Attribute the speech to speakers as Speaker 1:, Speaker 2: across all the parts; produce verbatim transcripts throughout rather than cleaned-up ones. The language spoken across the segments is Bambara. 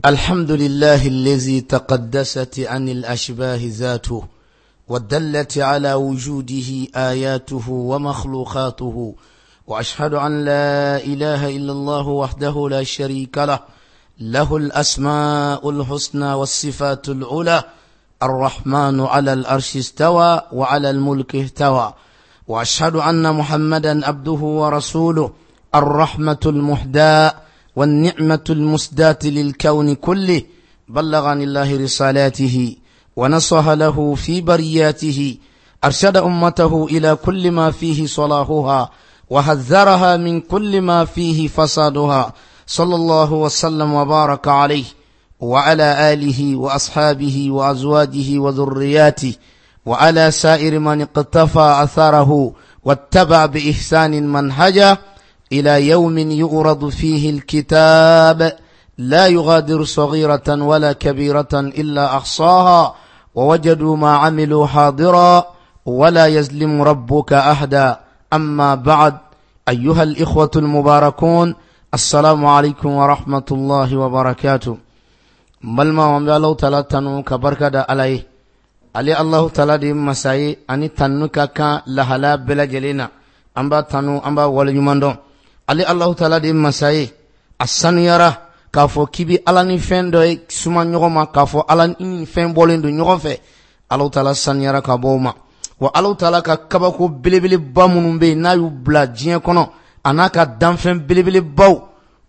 Speaker 1: الحمد لله الذي تقدست عن الأشباه ذاته ودلت على وجوده آياته ومخلوقاته، وأشهد أن لا إله إلا الله وحده لا شريك له، له الأسماء الحسنى والصفات العلى، الرحمن على العرش استوى وعلى الملك اهتوى، وأشهد أن محمدا عبده ورسوله، الرحمة المهداة والنعمة المسداة للكون كله، بلغ عن الله رسالاته ونصح له في برياته، أرشد أمته إلى كل ما فيه صلاحها وحذرها من كل ما فيه فسادها، صلى الله وسلم وبارك عليه وعلى آله وأصحابه وأزواجه وذرياته وعلى سائر من اقتفى أثره واتبع بإحسان منهجه إلى يوم يعرض فيه الكتاب لا يغادر صغيرة ولا كبيرة إلا أحصاها ووجدوا ما عملوا حاضرا ولا يظلم ربك أحدا. أما بعد، أيها الإخوة المباركون، السلام عليكم ورحمة الله وبركاته. Balima, an bɛ Alahu Taala tanu ka barika da Ala ye. Ale Alahu Taala de ye masa ye ani tanu ka kan lahala bɛɛ lajɛlen na. An b'a tanu, an b'a waleɲuman dɔn. Ale Alahu Taala de ye masa ye, a sanuyara k'a fɔ k'i bɛ Ala ni fɛn dɔ ye suma ɲɔgɔn ma, k'a fɔ Ala ni fɛn bɔlen don ɲɔgɔn fɛ. Alahu Taala sanuyara ka bɔ o ma. Wa Alahu Taala ka kabako belebeleba minnu bɛ yen n'a y'u bila diɲɛ kɔnɔ, a n'a ka danfɛn belebelebaw,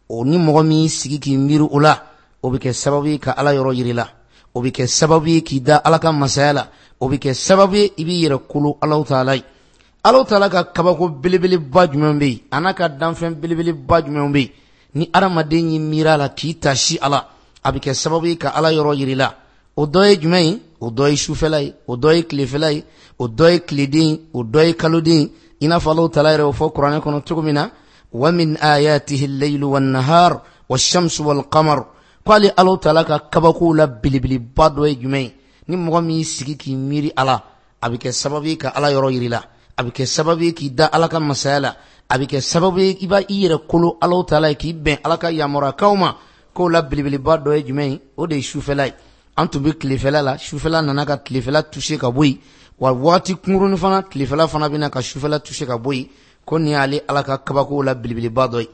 Speaker 1: o ni mɔgɔ min y'i sigi k'i miiri o la, o bɛ kɛ sababu ye ka Ala yɔrɔ yiri la, o bɛ kɛ sababu ye k'i da Ala ka masaya la, o bɛ kɛ sababu ye i b'i yɛrɛ kolo Alahu Taala ye. Alahu Taala ka kabako belebeleba jumɛn bɛ yen, a n'a ka danfɛn belebeleba jumɛn bɛ yen, ni adamaden y'i miiri a la k'i tasi a la, a bɛ kɛ sababu ye ka Ala yɔrɔ yiri la. O dɔ ye jumɛn ye? O dɔ ye sufɛla ye, o dɔ ye tilefɛla ye, o dɔ ye tileden ye, o dɔ ye kaloden ye. I n'a fɔ Alahu Taala yɛrɛ y'o fɔ kuranɛ kɔnɔ cogo min na, wa min ayatihi al-laylu wan-nahar wash-shamsu wal-qamar. K'ale Alahu Taala ka kabakow la belebeleba dɔ ye jumɛn ye? Ni mɔgɔ min y'i sigi k'i miiri a la, a bɛ kɛ sababu ye ka Ala yɔrɔ yiri la, a bɛ kɛ sababu ye k'i da Ala ka masaya la, a bɛ kɛ sababu ye i b'a i yɛrɛ kolo Alahu Taala ye, k'i bɛn Ala ka yamaruyakanw ma. K'o la belebeleba dɔ ye jumɛn ye? O de ye sufɛla ye. An tun bɛ tilefɛla la, sufɛla nana ka tilefɛla toucher ka bɔ yen, wa waati kunkurunin fana tilefɛla fana bɛna ka sufɛla toucher ka bɔ yen. Ko nin y'ale Ala ka kabakow la belebeleba dɔ ye.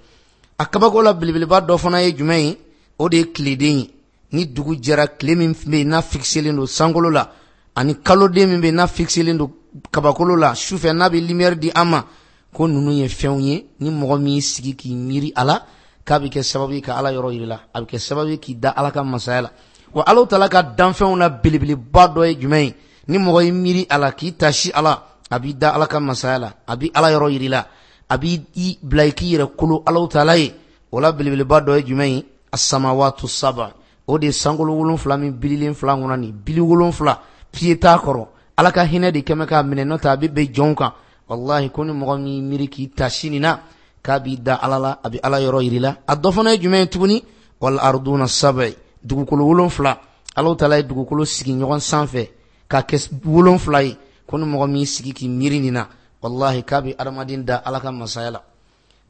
Speaker 1: A kabako la belebeleba dɔ fana ye jumɛn ye? O de ye tileden ye. Ni dugu jɛra, tile min bɛ yen n'a fixelen don sankolo la, ani kaloden min bɛ yen n'a fixelen don kabakolo la sufɛ, n'a bɛ lumière di an ma, ko ninnu ye fɛnw ye ni mɔgɔ min y'i sigi k'i miiri a la, k'a bɛ kɛ sababu ye ka Ala yɔrɔ yiri la, a bɛ kɛ sababu ye k'i da Ala ka masaya la. Wa Alahu Taala ka danfɛnw la belebeleba dɔ ye jumɛn ye? Ni mɔgɔ y'i miiri a la k'i tasi a la, a b'i da Ala ka masaya la, a b'i Ala yɔrɔ yiri la, a b'i bila i k'i yɛrɛ kolo Alahu Taala ye. O la belebeleba dɔ ye jumɛn ye? As-samawatu sab'a, o de ye sankolo wolonfila min bililen fila kɔnɔ, nin bili wolonfila pied t'a kɔrɔ. Ala ka hinɛ de kɛmɛ k'a minɛ, n'o tɛ a bɛ bɛn jɔnw kan. Walahi, ko ni mɔgɔ min miiri k'i tasi nin na, k'a b'i da Ala la, a bɛ Ala yɔrɔ yiri la. A dɔ fana ye jumɛn ye tuguni? Wal arduna sab'a, dugukolo wolonfila. Alahu Taala ye dugukolo sigi ɲɔgɔn sanfɛ k'a kɛ wolonfila ye. Ko ni mɔgɔ min sigi k'i miiri nin na, walahi, k'a bɛ adamaden da Ala ka masaya la.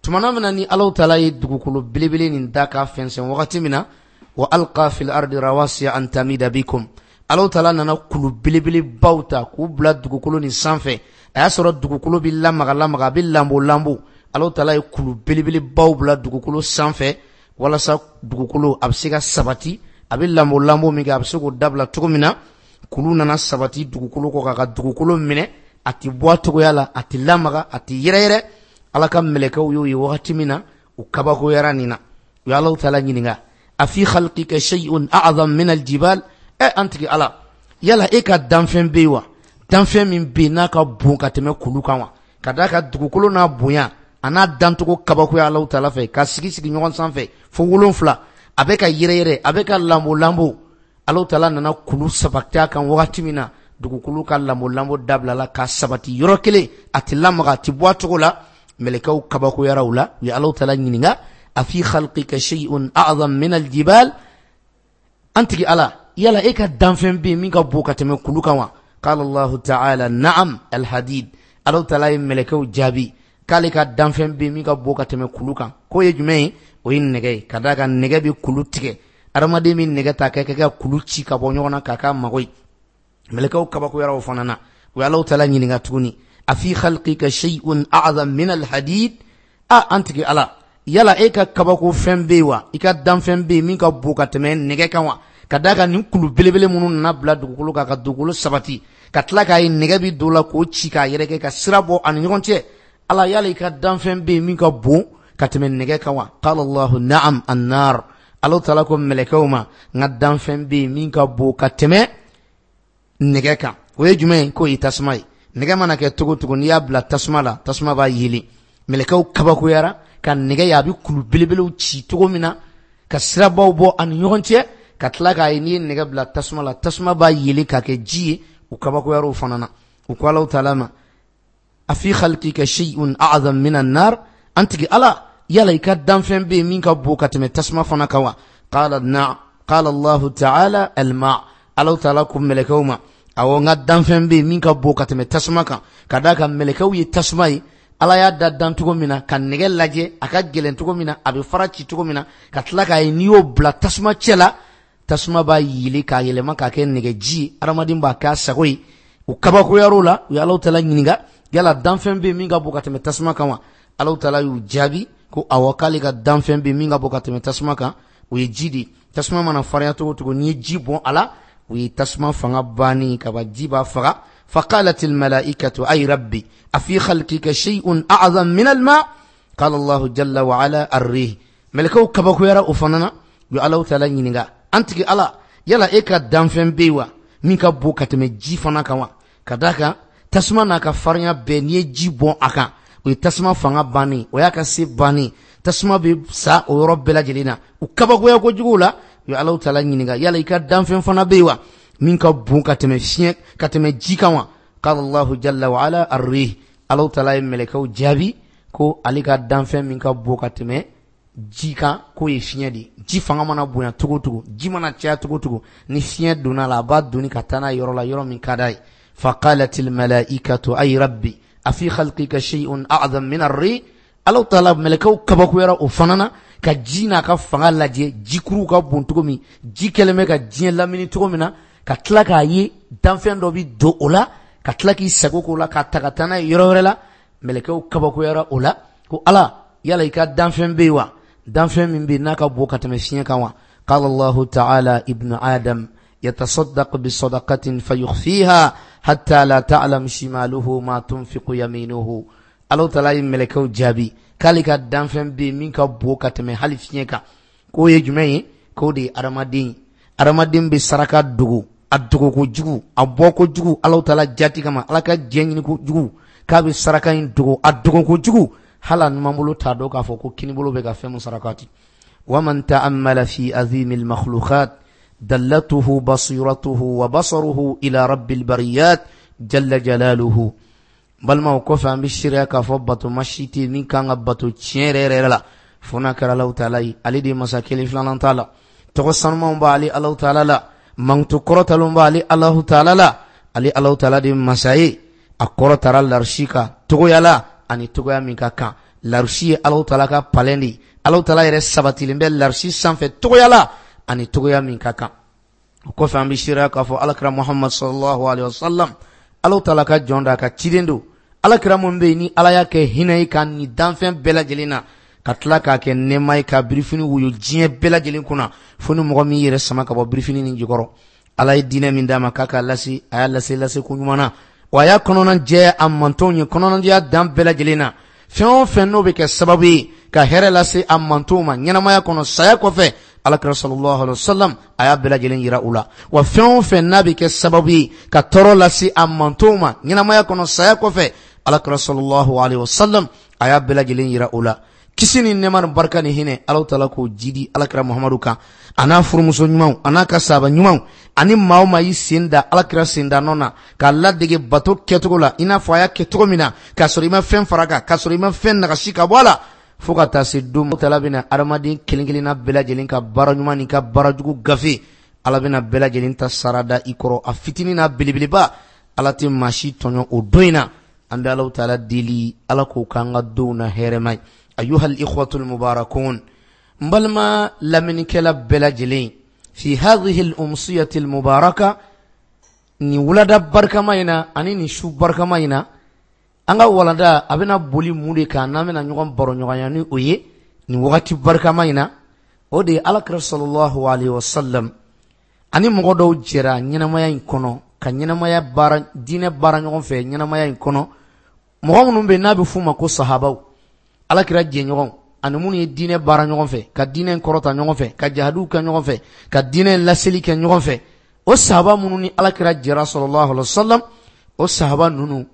Speaker 1: Tumana min na ni Alahu Taala ye dugukolo belebele nin da k'a fɛnsɛn wagati min na, wa alqa fil ardi rawasiya an tamida bikum, Alahu Taala nana kulu belebelebaw ta k'u bila dugukolo nin sanfɛ. A y'a sɔrɔ dugukolo bɛ lamaga lamaga, a bɛ lambo lambo. Alahu Taala ye kulu belebelebaw bila dugukolo sanfɛ walasa dugukolo a bɛ se ka sabati, a bɛ lambo lambo min kɛ, a bɛ se k'o dabila cogo min na. Kulu nana sabati dugukolo kɔ k'a ka dugukolo minɛ, a tɛ bɔ a cogoya la, a tɛ lamaga, a tɛ yɛrɛyɛrɛ. Ala ka mɛlɛkɛw y'o ye wagati min na, u kabakoyara nin na. U ye Alahu Taala ɲininka, a fi khalqika shay'un a'zam min al-jibal? Ɛ an tigi Ala, yala e ka danfɛn bɛ yen wa, danfɛn min bɛ yen n'a ka bon ka tɛmɛ kulu kan wa? Ka d'a ka dugukolo n'a bonya a n'a dancogo kabakoya Alahu Taala fɛ, ka sigi sigi ɲɔgɔn sanfɛ fo wolonfila, a bɛ ka yɛrɛyɛrɛ, a bɛ ka lambo lambo. Alahu Taala nana kulu sabati a kan wagati min na, dugukolo ka lambo lambo dabilala ka sabati yɔrɔ kelen, a tɛ lamaga, a tɛ bɔ a cogo la. Mɛlɛkɛw kabakoyara u la, u ye Alahu Taala ɲininka, a fi khalqika shay'un a'zam min al-jibal? An tigi Ala, yala e ka danfɛn bɛ yen min ka bon ka tɛmɛ kulu kan wa? Qala Allahu ta'ala na'am al-hadid. Alahu Taala ye mɛlɛkɛw jaabi k'ale ka danfɛn bɛ yen min ka bon ka tɛmɛ kulu kan. K'o ye jumɛn ye? O ye nɛgɛ ye. Ka d'a kan nɛgɛ bɛ kulu tigɛ. Adamaden min nɛgɛ ta k'a kɛ ka kulu ci ka bɔ ɲɔgɔn na k'a k'a mago ye. Mɛlɛkɛw kabakoyara o fana na. U ye Alahu taala ɲininka tuguni, afi khalqika shay'un a'zam min al-hadid? A an tigi Ala, yala e ka kabako fɛn bɛ yen wa? I ka danfɛn bɛ yen min ka bon ka tɛmɛ nɛgɛ kan wa? Ka d'a kan nin kulu belebele minnu nana bila dugukolo kan ka dugukolo sabati, ka tila k'a ye nɛgɛ bi don la k'o ci k'a yɛrɛkɛ ka sira bɔ ani ɲɔgɔn cɛ. Ala, yala i ka danfɛn bɛ yen min ka bon ka tɛmɛ nɛgɛ kan wa? Qala Allahu na'am an-nar. Alahu taala ko mɛlɛkɛw ma, n ka danfɛn bɛ yen min ka bon ka tɛmɛ nɛgɛ kan. O ye jumɛn ye? K'o ye tasuma ye. Nɛgɛ mana kɛ cogo cogo, n'i y'a bila tasuma la, tasuma b'a yelen. Mɛlɛkɛw kabakoyara ka nɛgɛ ye a bɛ kulu belebelew ci cogo min na, ka sirabaw bɔ ani ɲɔgɔn cɛ, ka tila k'a ye n'i ye nɛgɛ bila tasuma la, tasuma b'a yelen k'a kɛ ji ye. U kabakoyara o fana na. U ko Alahu taala ma, afi khalqika shay'un a'zam min an-nar? An tigi Ala, yala i ka danfɛn bɛ yen min ka bon ka tɛmɛ tasuma fana kan wa? Qala na'am. Qala Allahu ta'ala al-ma'. Alahu taala ko mɛlɛkɛw ma, awɔ, n ka danfɛn bɛ yen min ka bon ka tɛmɛ tasuma kan. Ka d'a kan mɛlɛkɛw ye tasuma ye, Ala y'a da dan cogo min na, ka nɛgɛ lajɛ a ka gɛlɛn cogo min na, a bɛ fara ci cogo min na, ka tila k'a ye n'i y'o bila tasuma cɛ la, tasuma b'a yeli k'a yɛlɛma k'a kɛ nɛgɛji ye, adamaden b'a k'a sago ye. U kabakoyar'o la, u ye Alahu taala ɲininka, yala danfɛn bɛ yen min ka bon ka tɛmɛ tasuma kan wa? Alahu taala y'u jaabi ko awɔ, k'ale ka danfɛn bɛ yen min ka bon ka tɛmɛ tasuma kan, o ye ji de ye. Tasuma mana farinya cogo cogo, n'i ye ji bɔn a la, o ye tasuma fanga bannen kaba, ji b'a faga. فقالت الملائكة أي ربي أفي خلقك شيء أعظم من الماء؟ قال الله جل وعلا الريح. ملكو كبكو يرى أفننا يعلو تعالى ينغا أنت الله يلا إيكا دانفن بيوا مينكا بو كتمي جي فنا كوا كداكا tasuma n'a ka farinya bɛɛ, n'i ye ji bɔn a kan, o ye tasuma fanga bannen, o y'a ka se bannen, tasuma bɛ sa o yɔrɔ bɛɛ lajɛlen na. U kabakoya kojugu la, u ye Alahu taala ɲininka, yala i ka danfɛn fana bɛ yen wa min ka bon ka tɛmɛ fiɲɛ ka tɛmɛ ji kan wa? Qala Allahu jalla wa ala ar-rih. Alahu taala ye mɛlɛkɛw jaabi ko ale ka danfɛn min ka bon ka tɛmɛ ji kan, k'o ye fiɲɛ de ye. Ji fanga mana bonya cogo cogo, ji mana caya cogo cogo, ni fiɲɛ donna a la, a b'a doni ka taa n'a ye yɔrɔ la, yɔrɔ min ka d'a ye. فقالت الملائكة أي ربي أفي خلقك شيء أعظم من الريح؟ Alahu taala mɛlɛkɛw kabakoyara o fana na, ka ji n'a ka fanga lajɛ, jikuruw ka bon cogo min, ji kɛlen bɛ ka diɲɛ lamini cogo min na, ka tila k'a ye danfɛn dɔ bi don o la, ka tila k'i sago k'o la, k'a ta ka taa n'a ye yɔrɔ wɛrɛ la. Mɛlɛkɛw kabakoyara o la ko Ala, yala i ka danfɛn bɛ yen wa, danfɛn min bɛ yen n'a ka bon ka tɛmɛ fiɲɛ kan wa? Qala Allahu ta'ala ibnu Adam يتصدق بصدقة فيخفيها حتى لا تعلم شماله ما تنفق يمينه. Alahu taala ye mɛlɛkɛw jaabi k'ale ka danfɛn bɛ yen min ka bon ka tɛmɛ hali fiɲɛ kan, k'o ye jumɛn ye? K'o de ye adamaden ye. Adamaden bɛ saraka dogo, a dogo kojugu, a bɔ kojugu Alahu taala jati kama, Ala ka jɛ ɲini kojugu, k'a bɛ saraka in dogo, a dogo kojugu, hali a numanbolo t'a dɔn k'a fɔ ko kinibolo bɛ ka fɛn min sarakati. ومن تأمل في عظيم المخلوقات دلته بصيرته وبصره إلى رب البريات جل جلاله. Balimaw, kɔfɛ an bɛ seereya k'a fɔ bato ma si tɛ min kan ka bato tiɲɛ yɛrɛ yɛrɛ la fo n'a kɛra Alahu taala ye. Ale de ye masa kelen filanan t'a la, tɔgɔ sanumanw b'ale Alahu taala la, mankutu kɔrɔtalenw b'ale Alahu taala la. Ale Alahu taala de ye masa ye, a kɔrɔtara larisi kan togoya la ani togoya min ka kan. Larisi ye Alahu taala ka palɛn de ye, Alahu taala yɛrɛ sabatilen bɛ larisi sanfɛ togoya la ani togoya min ka kan. O kɔfɛ an bɛ seereya k'a fɔ Alakira Muhammad sallallahu alaihi wa sallam, Alahu taala ka jɔn d'a ka ciden don. Alakira mun bɛ yen ni Ala y'a kɛ hinɛ ye ka nin danfɛn bɛɛ lajɛlen na, ka tila k'a kɛ nɛɛma ye ka birifini woyo diɲɛ bɛɛ lajɛlen kunna, fo ni mɔgɔ min yɛrɛ sama ka bɔ birifini nin jukɔrɔ. Ala ye diinɛ min d'a ma k'a k'a lase, a y'a lase lase ko ɲuman na, wa a y'a kɔnɔna jɛya a mantɔnw ye, kɔnɔnajɛya dan bɛɛ lajɛlen na. Fɛn o fɛn n'o bɛ kɛ sababu ye ka hɛrɛ lase a mantɔnw ma ɲɛnamaya kɔnɔ, saya kɔfɛ, Alakira sallallahu alaihi wasallam a y'a bɛɛ lajɛlen yira u la. Wa fɛn o fɛn n'a bɛ kɛ sababu ye ka tɔɔrɔ lase a mantɔnw ma ɲɛnamaya kɔnɔ, saya kɔfɛ, Alakira sallallahu alaihi wasallam a y'a bɛɛ lajɛlen yira u la. Kisi ni nɛɛma ni barika ni hinɛ, Alahu taala k'o jidi Alakira Muhamadu kan, a n'a furumuso ɲumanw, a n'a ka sahaba ɲumanw, ani maa o maa y'i sen da Alakira sen da nɔ na k'a ladege bato kɛcogo la i n'a fɔ a y'a kɛ cogo min na, k'a sɔrɔ i ma fɛn fara kan, k'a sɔrɔ i ma fɛn nagasi ka bɔ a la, fo ka taa se don Alahu taala bɛna adamaden kelen kelenna bɛɛ lajɛlen ka baara ɲuman n'i ka baara jugu gafe, Ala bɛna bɛɛ lajɛlen ta sara da i kɔrɔ, a fitinin n'a belebeleba. Ala tɛ maa si tɔɲɔ o don in na. An bɛ Alahu taala deli, Ala k'o k'an ka donw na hɛrɛma ye. Ayuhal ikhwatul mubarakun, n balima lamɛnnikɛla bɛɛ lajɛlen, Fi hadhihi al-umsiyati al-mubaraka, ni wulada barikama in na ani ni su barikama in na, an ka walanda a bɛna boli mun de kan n'an bɛna ɲɔgɔn baro ɲɔgɔnya ni o ye nin wagati barikama in na, o de ye Alakira sallallahu alaihi wasallam ani mɔgɔ dɔw jɛra ɲɛnamaya in kɔnɔ ka ɲɛnamaya baara diinɛ baara ɲɔgɔn fɛ ɲɛnamaya in kɔnɔ. Mɔgɔ minnu bɛ n'a bɛ f'u ma ko sahabaw, Alakira jɛɲɔgɔnw ani minnu ye diinɛ baara ɲɔgɔn fɛ, ka diinɛ kɔrɔta ɲɔgɔn fɛ, ka jihadiw kɛ ɲɔgɔn fɛ, ka diinɛ laseli kɛ ɲɔgɔn fɛ, o sahaba minnu ni Alakira jɛra sallallahu alaihi wasallam, o sahaba ninnu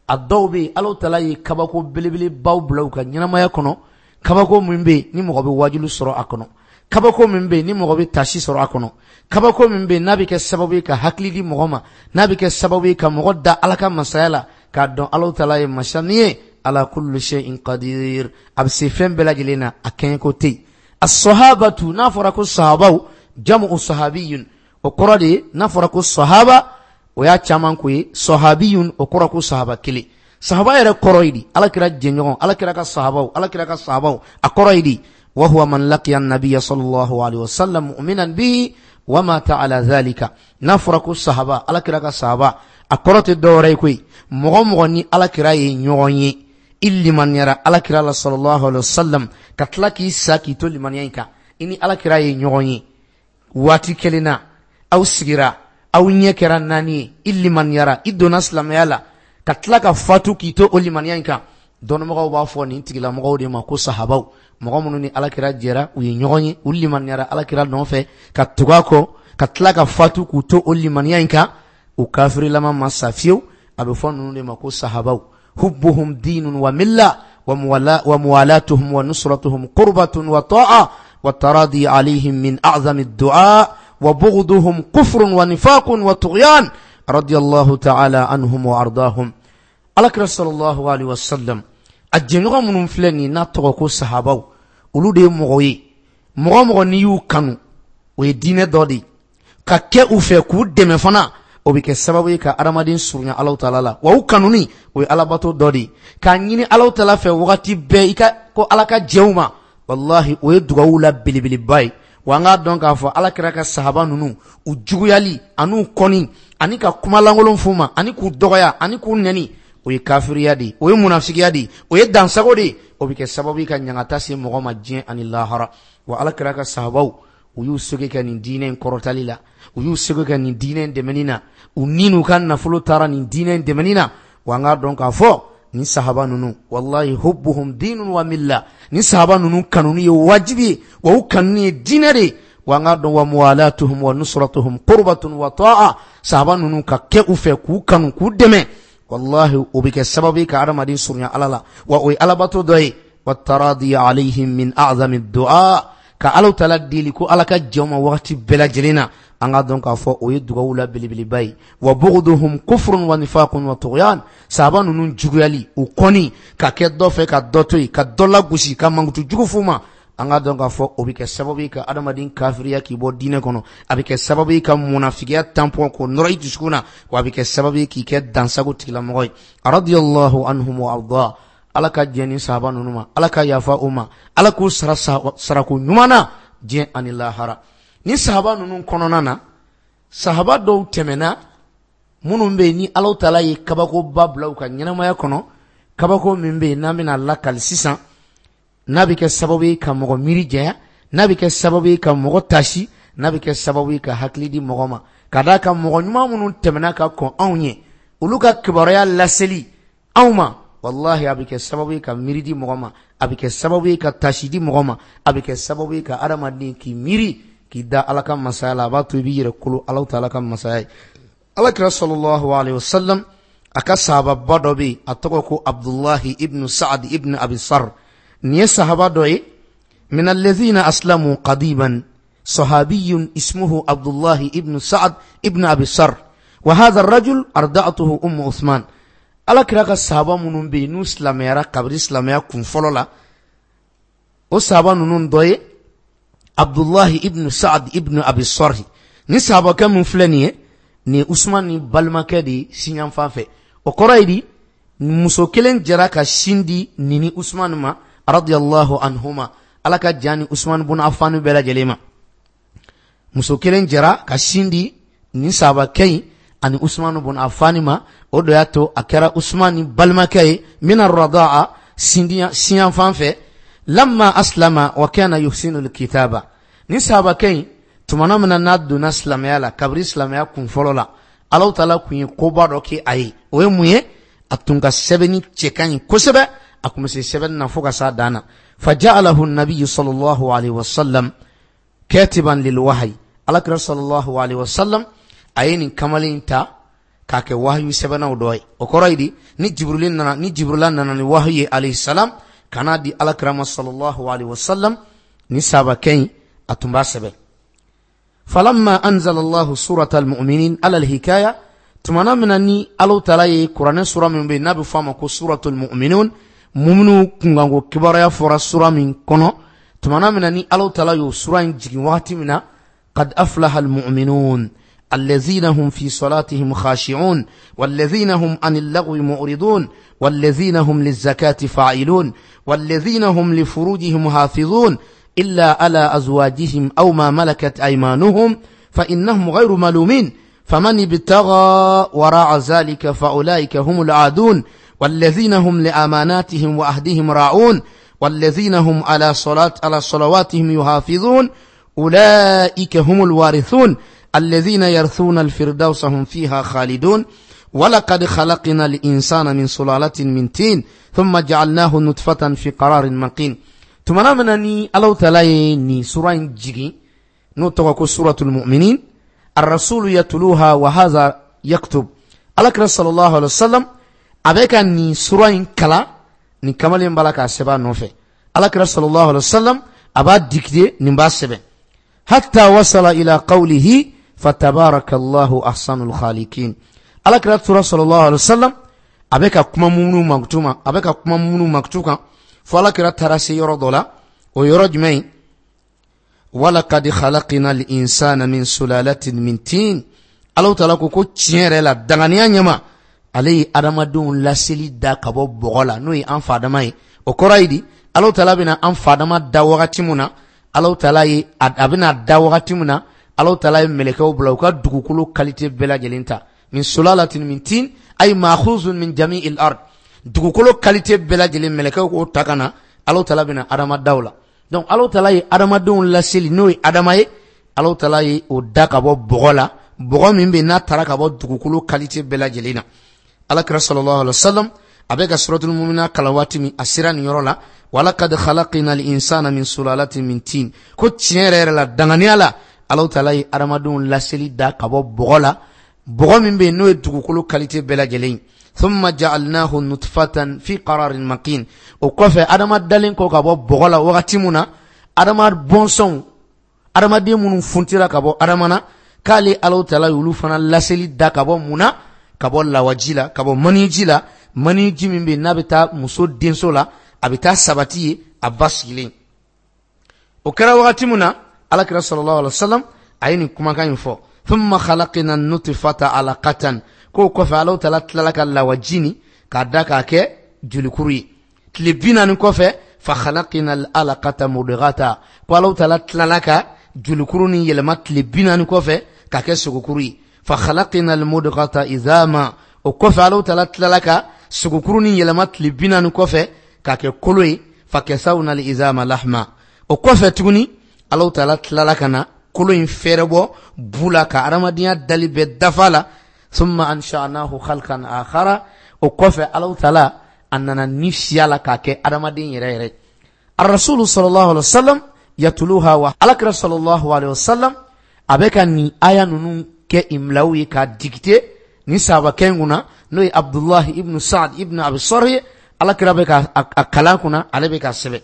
Speaker 1: a dɔw bɛ yen Alahu taala ye kabako belebelebaw bila u ka ɲɛnamaya kɔnɔ, kabako min bɛ yen ni mɔgɔ bɛ wajilu sɔrɔ a kɔnɔ, kabako min bɛ yen ni mɔgɔ bɛ tasi sɔrɔ a kɔnɔ, kabako min bɛ yen n'a bɛ kɛ sababu ye ka hakili di mɔgɔ ma, n'a bɛ kɛ sababu ye ka mɔgɔ da Ala ka masaya la, k'a dɔn Alahu taala ye masa min ye, ala kulli shay'in qadir, a bɛ se fɛn bɛɛ lajɛlen na, a kɛɲɛko tɛ yen. As-sahabatu, n'a fɔra ko sahabaw, jamu sahabiyun, o kɔrɔ de ye n'a fɔra ko sahaba o y'a caman ko ye, sahabiyun o kɔrɔ ko sahaba kelen. Sahaba yɛrɛ kɔrɔ ye di? Alakira jɛɲɔgɔn, Alakira ka sahabaw, Alakira ka sahabaw, a kɔrɔ ye di? Wa huwa man laqiya an-nabiyya sallallahu alaihi wasallam mu'minan bihi wa mata ala dhalika. N'a fɔra ko sahaba, Alakira ka sahaba, a kɔrɔ tɛ dɔwɛrɛ ye koyi, mɔgɔ mɔgɔ ni Alakira ye ɲɔgɔn ye, i limaniyara Alakira la sallallahu alaihi wasallam, ka tila k'i sa k'i to limaniya in kan, i ni Alakira ye ɲɔgɔn ye waati kelen na, aw sigira, aw ɲɛ kɛra naani ye, i limaniyara, i donna silamɛya la, ka tila ka fatu k'i to o limaniya in kan. Dɔnnibagaw b'a fɔ nin tigilamɔgɔw de ma ko sahabaw, mɔgɔ minnu ni Alakira jɛra, u ye ɲɔgɔn ye, u limaniyara Alakira nɔfɛ ka tugu a kɔ, ka tila ka fatu k'u to o limaniya in kan, u kafirilama ma sa fiyewu. A bɛ fɔ ninnu de ma ko sahabaw. Hubbuhum dinun wa milla wa muwalatuhum wa nusratuhum qurbatun wa ta'a wa taradi alayhim min a'zami ad-du'a wa bughduhum kufrun wa nifaqun wa tughyan radiyallahu ta'ala anhum wa ardahum. Alakira sallallahu alaihi wasallam a jɛɲɔgɔn minnu filɛ nin n'a tɔgɔ ko sahabaw, olu de ye mɔgɔ ye, mɔgɔ mɔgɔ n'i y'u kanu, o ye diinɛ dɔ de ye, ka kɛ u fɛ k'u dɛmɛ fana, o bɛ kɛ sababu ye ka adamaden surunya Alahu taala la, wa u kanuni o ye alabato dɔ de ye, k'a ɲini Alahu taala fɛ wagati bɛɛ i ka ko Ala ka jɛ u ma, walahi o ye dugawu la belebeleba ye. Wa an k'a dɔn k'a fɔ Alakira ka sahaba ninnu, u juguyali an'u kɔni ani ka kuma lankolon f'u ma ani k'u dɔgɔya ani k'u nɛni, o ye kafiriya de ye, o ye munafigiya de ye, o ye dansago de ye, o bɛ kɛ sababu ye ka ɲangata se mɔgɔ ma diɲɛ ani lahara. Wa Alakira ka sahabaw, u y'u seko kɛ nin diinɛ in kɔrɔtali la, u y'u seko kɛ nin diinɛ in dɛmɛni na, u ni n'u ka nafolo taara nin diinɛ in dɛmɛni na. Wa an k'a dɔn k'a fɔ nin sahaba ninnu, wallahi hubbuhum dinun wa milla, nin sahaba ninnu kanuni ye wajibi ye, wa u kanuni ye diinɛ de ye. Wa an k'a dɔn wa muwalatuhum wa nusratuhum qurbatun wa ta'a, sahaba ninnu ka kɛ u fɛ k'u kanu k'u dɛmɛ, wallahi o bɛ kɛ sababu ye ka adamaden surunya Ala la, wa o ye alabato dɔ ye. Wa taradi alayhim min a'zami du'a, ka Alahu taala deli ko Ala ka jɛ u ma wagati bɛɛ lajɛlen na, an k'a dɔn k'a fɔ o ye dugawu la belebeleba ye. Wa bughduhum kufrun wa nifaqun wa tughyan, sahaba ninnu juguyali, u kɔni ka kɛ dɔ fɛ ka dɔ to yen, ka dɔ lagosi, ka mankutu jugu f'u ma, an k'a dɔn k'a fɔ o bɛ kɛ sababu ye ka adamaden kafiriya k'i bɔ diinɛ kɔnɔ, a bɛ kɛ sababu ye ka munafigiya tampɔn k'o nɔrɔ i dusukun na, wa a bɛ kɛ sababu ye k'i kɛ dansago tigilamɔgɔ ye. Radiyallahu anhum wa arda, Ala ka jɛn ni sahaba ninnu ma, Ala ka yafa u ma, Ala k'u sara sarako ɲuman na diɲɛ ani lahara. Ni sahaba ninnu kɔnɔna na, sahaba dɔw tɛmɛna minnu bɛ yen ni Alahu taala ye kabakoba bila u ka ɲɛnamaya kɔnɔ, kabako min bɛ yen n'an bɛna lakali sisan, n'a bɛ kɛ sababu ye ka mɔgɔ miiri janya, n'a bɛ kɛ sababu ye ka mɔgɔ tasi, n'a bɛ kɛ sababu ye ka hakili di mɔgɔ ma, ka d'a kan mɔgɔ ɲuman minnu tɛmɛna ka kɔn anw ɲɛ, olu ka kibaruya laseli anw ma, wallahi a bɛ kɛ sababu ye ka miiri di mɔgɔ ma, a bɛ kɛ sababu ye ka tasi di mɔgɔ ma, a bɛ kɛ sababu ye ka adamaden k'i miiri k'i da Ala ka masaya la, a b'a to i b'i yɛrɛ kolo Alahu taala ka masaya ye. Alakira sallallahu alaihi wasallam a ka sahababa dɔ bɛ yen, a tɔgɔ ko Abdullahi ibn Sa'ad ibn Abi Sarr. Nin ye sahaba dɔ ye, min allazina aslamu qadiban, sahabiyun ismuhu Abdullahi ibn Sa'ad ibn Abi Sarr, wa hadha ar-rajul arda'atuhu ummu Uthman. Alakira ka sahaba minnu bɛ yen n'u silamɛyara kabini silamɛya kun fɔlɔ la, o sahaba ninnu dɔ ye Abdullahi ibn Sa'ad ibn Abi Sarr. Ni sahabakɛ min filɛ nin ye, nin ye Usman ni balimakɛ de ye sinyanfan fɛ. O kɔrɔ ye di, muso kelen jɛra ka sin di nin ni Usman ma radiyallahu anhuma, Ala ka jan ni Usman bun Affan bɛɛ lajɛlen ma. Muso kelen jɛra ka sin di nin sahabakɛ in ani Usmanu bun Affan ma. O de y'a to a kɛra Usman ni balimakɛ ye mina radaa, siyan fan fɛ. Lamma aslama wa kana yuhsinu alkitaba, ni sahabakɛ in tumana min na n'a donna silamɛya la, kabiri silamɛya kun fɔlɔ la, Alahu taala kun ye koba dɔ kɛ a ye. O ye mun ye? A tun ka sɛbɛnni cɛ ka ɲi kosɛbɛ, a kun bɛ se sɛbɛnni na fo ka s'a dan na. Faja'alahu nabiyyu sallallahu alaihi wasallam katiban lil wahyi, Alakira sallallahu alaihi wasallam a ye nin kamalen ta k'a kɛ wahayu sɛbɛnnaw dɔ ye. O kɔrɔ ye di, ni Jibril nana, ni Jibrila nana ni wahayu ye alayhi salam ka n'a di Alakira ma sallallahu alaihi wasallam, ni sahabakɛ in a tun b'a sɛbɛn. Falamma anzala Allahu surata al-mu'minin ala al-hikaya, tumana min na ni Alahu taala ye kuranɛ sura min bɛ yen n'a bɛ fɔ a ma ko suratul mu'minun, muminu kunkanko kibaruya fɔra sura min kɔnɔ, tumana min na ni Alahu taala y'o sura in jigin wagati min na, qad aflaha al-mu'minun الذين هم في صلاتهم خاشعون والذين هم عن اللغو معرضون والذين هم للزكاة فاعلون والذين هم لفروجهم حافظون إلا على أزواجهم أو ما ملكت أيمانهم فإنهم غير ملومين فمن ابتغى وراء ذلك فأولئك هم العادون والذين هم لأماناتهم وعهدهم راعون والذين هم على صلاة على صلواتهم يحافظون أولئك هم الوارثون الذين يرثون الفردوس هم فيها خالدون ولقد خلقنا الإنسان من سلالة من طين ثم جعلناه نطفة في قرار مكين. tumana min na ni Alahu taala ye nin sura in jigin n'o tɔgɔ ko suratul mu'minin, arrasulu yatluha wa hadha yaktub, Alakira sallallahu alaihi wasallam a bɛ ka nin sura in kalan, nin kamalen b'a la k'a sɛbɛn a nɔfɛ. Alakira sallallahu alaihi wasallam a b'a dicter, nin b'a sɛbɛn, hatta wasala ila qawlihi fatabarakallahu ahsanul khaliqin. Alakira tora sallallahu alaihi wasallam a bɛ ka kuma muminu mankutu ma, a bɛ ka kuma muminu mankutu kan fo Alakira taara se yɔrɔ dɔ la. O yɔrɔ jumɛn ye? Walaqad khalaqna al-insana min sulalatin min tin. Alahu taala ko ko tiɲɛ yɛrɛ la danganiya ɲɛma ale ye adamadenw laseli da ka bɔ bɔgɔ la, n'o ye an fa Adama ye. O kɔrɔ ye di? Alahu taala bɛna an fa Adama da wagati mun na, Alahu taala ye a bɛna da wagati mun na, Alahu taala ye mɛlɛkɛw bila u ka dugukolo qualité bɛɛ lajɛlen ta, min sulalatin min tin ay ma'khuzun min jami'il ard, dugukolo qualité bɛɛ lajɛlen mɛlɛkɛw k'o ta ka na, Alahu taala bɛna Adama da o la. Donc Alahu taala ye adamadenw laseli n'o ye Adama ye, Alahu taala ye o da ka bɔ bɔgɔ la, bɔgɔ min bɛ n'a taara ka bɔ dugukolo qualité bɛɛ lajɛlen na. Alakira sallallahu alaihi wasallam a bɛ ka suratul mu'minin kalan waati min, a sera nin yɔrɔ la, walaqad khalaqna al-insana min sulalatin min tin, ko tiɲɛ yɛrɛ yɛrɛ la danganiya la Alahu taala ye adamadenw laseli da ka bɔ bɔgɔ la, bɔgɔ min bɛ yen n'o ye dugukolo qualité bɛɛ lajɛlen ye. Thumma ja'alnahu nutfatan fi qararin makin. O kɔfɛ Adama dalen kɔ ka bɔ bɔgɔ la wagati mun na, Adama bɔnsɔnw, adamaden minnu funtira ka bɔ Adama na, k'ale Alahu taala y'olu fana laseli da ka bɔ mun na? Ka bɔ lawaji la, ka bɔ maniji la, maniji min bɛ yen n'a bɛ taa muso denso la, a bɛ taa sabati ye a ba sigilen. O kɛra wagati mun na, Alakira sallallahu alaihi wasallam a ye nin kumakan in fɔ, thumma khalaqna an-nutfata alaqatan, k'o kɔfɛ Alahu taala tilala ka lawaji nin k'a da k'a kɛ jolikuru ye. Tile bi naani kɔfɛ, fa khalaqna al-alaqata mudghata, ko Alahu taala tilala ka jolikuru nin yɛlɛma tile bi naani kɔfɛ k'a kɛ sogokuru ye. Fa khalaqna al-mudghata idhama, o kɔfɛ Alahu taala tilala ka sogokuru nin yɛlɛma tile bi naani kɔfɛ k'a kɛ kolo ye. Fa kasawna al-izama lahma, o kɔfɛ tuguni Alahu taala tilala ka na kolo in fɛrɛ bɔ bu la ka adamadenya dali bɛɛ dafa la. Thumma ansha'nahu khalqan akhara, o kɔfɛ Alahu taala a nana ni siya la k'a kɛ adamaden yɛrɛ yɛrɛ. Ar-rasulu sallallahu alaihi wasallam yatluha wa Alakira sallallahu alaihi wasallam a bɛ ka nin aya ninnu kɛ imlaw ye k'a dicter ni sahabakɛ in kunna, n'o ye Abdullahi ibn Sa'd ibn Abi Sarh ye. Alakira bɛ ka a kalan kunna, ale bɛ ka sɛbɛn.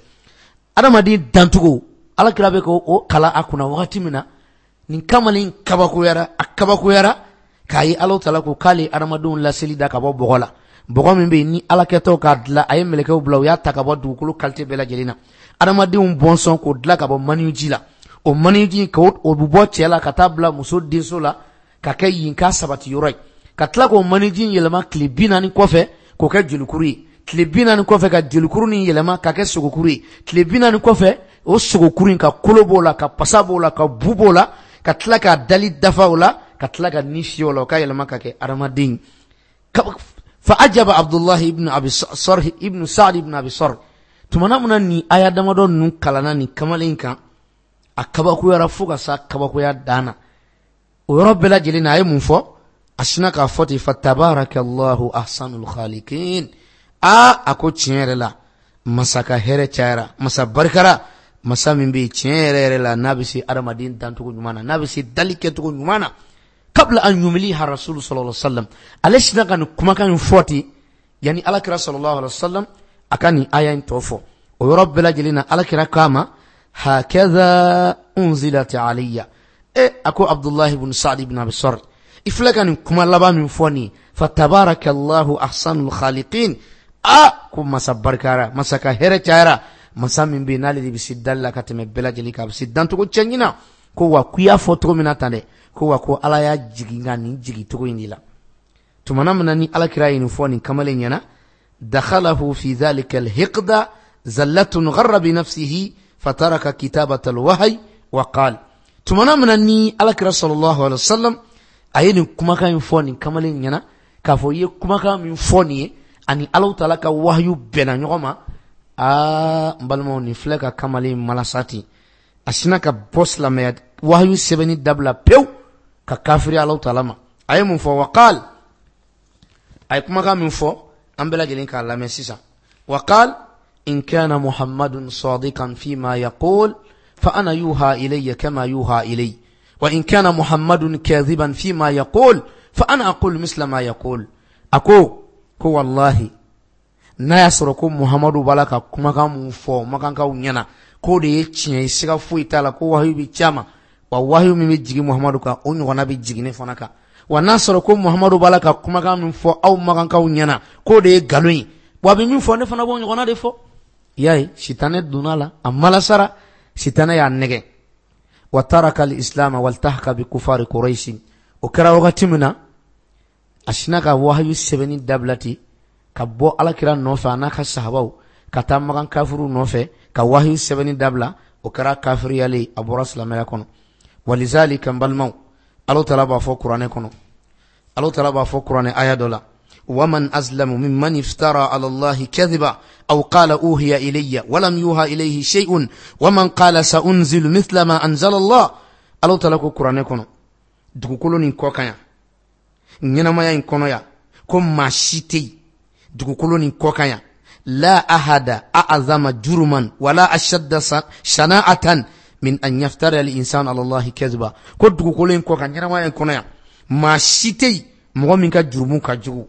Speaker 1: Adamaden dancogo Alakira bɛ k'o kalan a kunna wagati min na, nin kamalen kabakoyara, a kabakoyara k'a ye Alahu taala ko k'ale adamadenw laseli da ka bɔ bɔgɔ la, bɔgɔ min bɛ yen ni Alakɛtɔw k'a dilan, a ye mɛlɛkɛw bila u y'a ta ka bɔ dugukolo qualité bɛɛ lajɛlen na, adamadenw bɔnsɔn k'o dilan ka bɔ maniji la, o maniji k'o o bɛ bɔ cɛ la ka taa bila muso denso la ka kɛ yen k'a sabati yɔrɔ ye, ka tila k'o maniji yɛlɛma tile bi naani kɔfɛ k'o kɛ jolikuru ye, tile bi naani kɔfɛ ka jolikuru nin yɛlɛma ka kɛ sogokuru ye, tile bi naani kɔfɛ o sogokuru in ka kolo b'o la, ka pasa b'o la, ka bu b'o la, ka tila k'a dali dafa o la, ka tila ka ni fiyɛ o la, o ka yɛlɛma ka kɛ adamaden. Fa ajaba Abdullahi ibn Abi Sarh ibn Sa'd ibn Abi Sarh. Tumana min na nin aya damadɔ ninnu kalanna nin kamalen kan, a kabakoyara fo ka sa kabakoya dan na. O yɔrɔ bɛɛ lajɛlen na a ye mun fɔ? A sinna k'a fɔ ten, fa tabarakallahu ahsanul khaliqin. Aa, a ko tiɲɛ yɛrɛ la masa ka hɛrɛ cayara, masa barikara, masa min bɛ yen tiɲɛ yɛrɛ yɛrɛ la n'a bɛ se adamaden dancogo ɲuman na, n'a bɛ se dali kɛcogo ɲuman na. Kabla an yumliha rasulu sallallahu alaihi wasallam, ale sinna ka nin kumakan in fɔ ten yanni alakira sallallahu alaihi wasallam a ka nin aya in tɔ fɔ. O yɔrɔ bɛɛ lajɛlen na alakira k'a ma hakaza unzilat alayya. E a ko Abdullahi ibn Sa'd ibn Abi Sarh, i filɛ ka nin kuma laban min fɔ nin, fa tabarakallahu ahsanul khaliqin. A ko masa barikara, masa ka hɛrɛ cayara, masa min bɛ yen n'ale de bɛ se dali la ka tɛmɛ bɛɛ lajɛlen kan, a bɛ se dancogo cɛɲi na. Ko wa k'i y'a fɔ cogo min na tan dɛ, ko wa ko Ala y'a jigin ka nin jigin cogo in de la. Tumana min na ni alakira ye nin fɔ nin kamalen ɲɛna, dakhalahu fi dhalika alhiqda zallatun gharra bi nafsihi fataraka kitabata alwahyi wa qala. Tumana min na ni alakira sallallahu alaihi wasallam a ye nin kumakan in fɔ nin kamalen ɲɛna, k'a fɔ i ye kumakan min fɔ nin ye ani Alahu taala ka wahayu bɛnna ɲɔgɔn ma. Aa, n balimaw, nin filɛ ka kamalen malasa ten, a sinna ka bɔ silamɛya wahayu sɛbɛnni dabila pewu ka kafiri Alahu taala ma. A ye mun fɔ? Waqal, a ye kumakan min fɔ an bɛɛ lajɛlen k'a lamɛn sisan. Waqal in kana Muhammadun sadiqan fima yaqul fa ana yuha ilayya kama yuha ilayhi, wa in kana Muhammadun kadhiban fima yaqul fa ana aqul misla ma yaqul. A ko ko wallahi n'a y'a sɔrɔ ko Muhammadu b'a la ka kumakan mun fɔ makankaw ɲɛna k'o de ye tiɲɛ ye, siga foyi t'a la, ko wahayu bɛ ci a ma, wa wahayu min bɛ jigin Muhammadu kan o ɲɔgɔnna bɛ jigin ne fana kan. Wa n'a sɔrɔ ko Muhammadu b'a la ka kumakan min fɔ aw makankaw ɲɛna k'o de ye nkalon ye, wa a bɛ min fɔ ne fana b'o ɲɔgɔnna de fɔ. I y'a ye, sitanɛ donna a la, a malasara, sitanɛ y'a nɛgɛ. Wa taraka al-islam waltahaka bi kufari Quraish. O kɛra wagati min na, a sinna ka wahayu sɛbɛnni dabila ten, ka bɔ alakira nɔfɛ a n'a ka sahabaw ka taa makan kafiru nɔfɛ ka wahayu sɛbɛnni dabila. O kɛra kafiriyalen, a bɔra silamɛya kɔnɔ. Walizalika n balimaw, Alahu taala b'a fɔ kuranɛ kɔnɔ, Alahu taala b'a fɔ kuranɛ aya dɔ la, waman azlamu mimman iftara ala Allahi kadhiba aw qala uhiya ilayya walam yuha ilayhi shay'un waman qala sa'unzilu mithla ma anzala Allah. Alahu taala ko kuranɛ kɔnɔ, dugukolo nin kɔ kan yan, ɲɛnamaya in kɔnɔ yan, ko maa si tɛ yen dugukolo nin kɔ kan yan, la ahada a'azama juruman wala ashadda shana'atan min an yaftara al-insanu ala Allahi kadhiba. Ko dugukolo in kɔ kan, ɲɛnamaya in kɔnɔ yan, maa si tɛ yen mɔgɔ min ka jurumu ka jugu,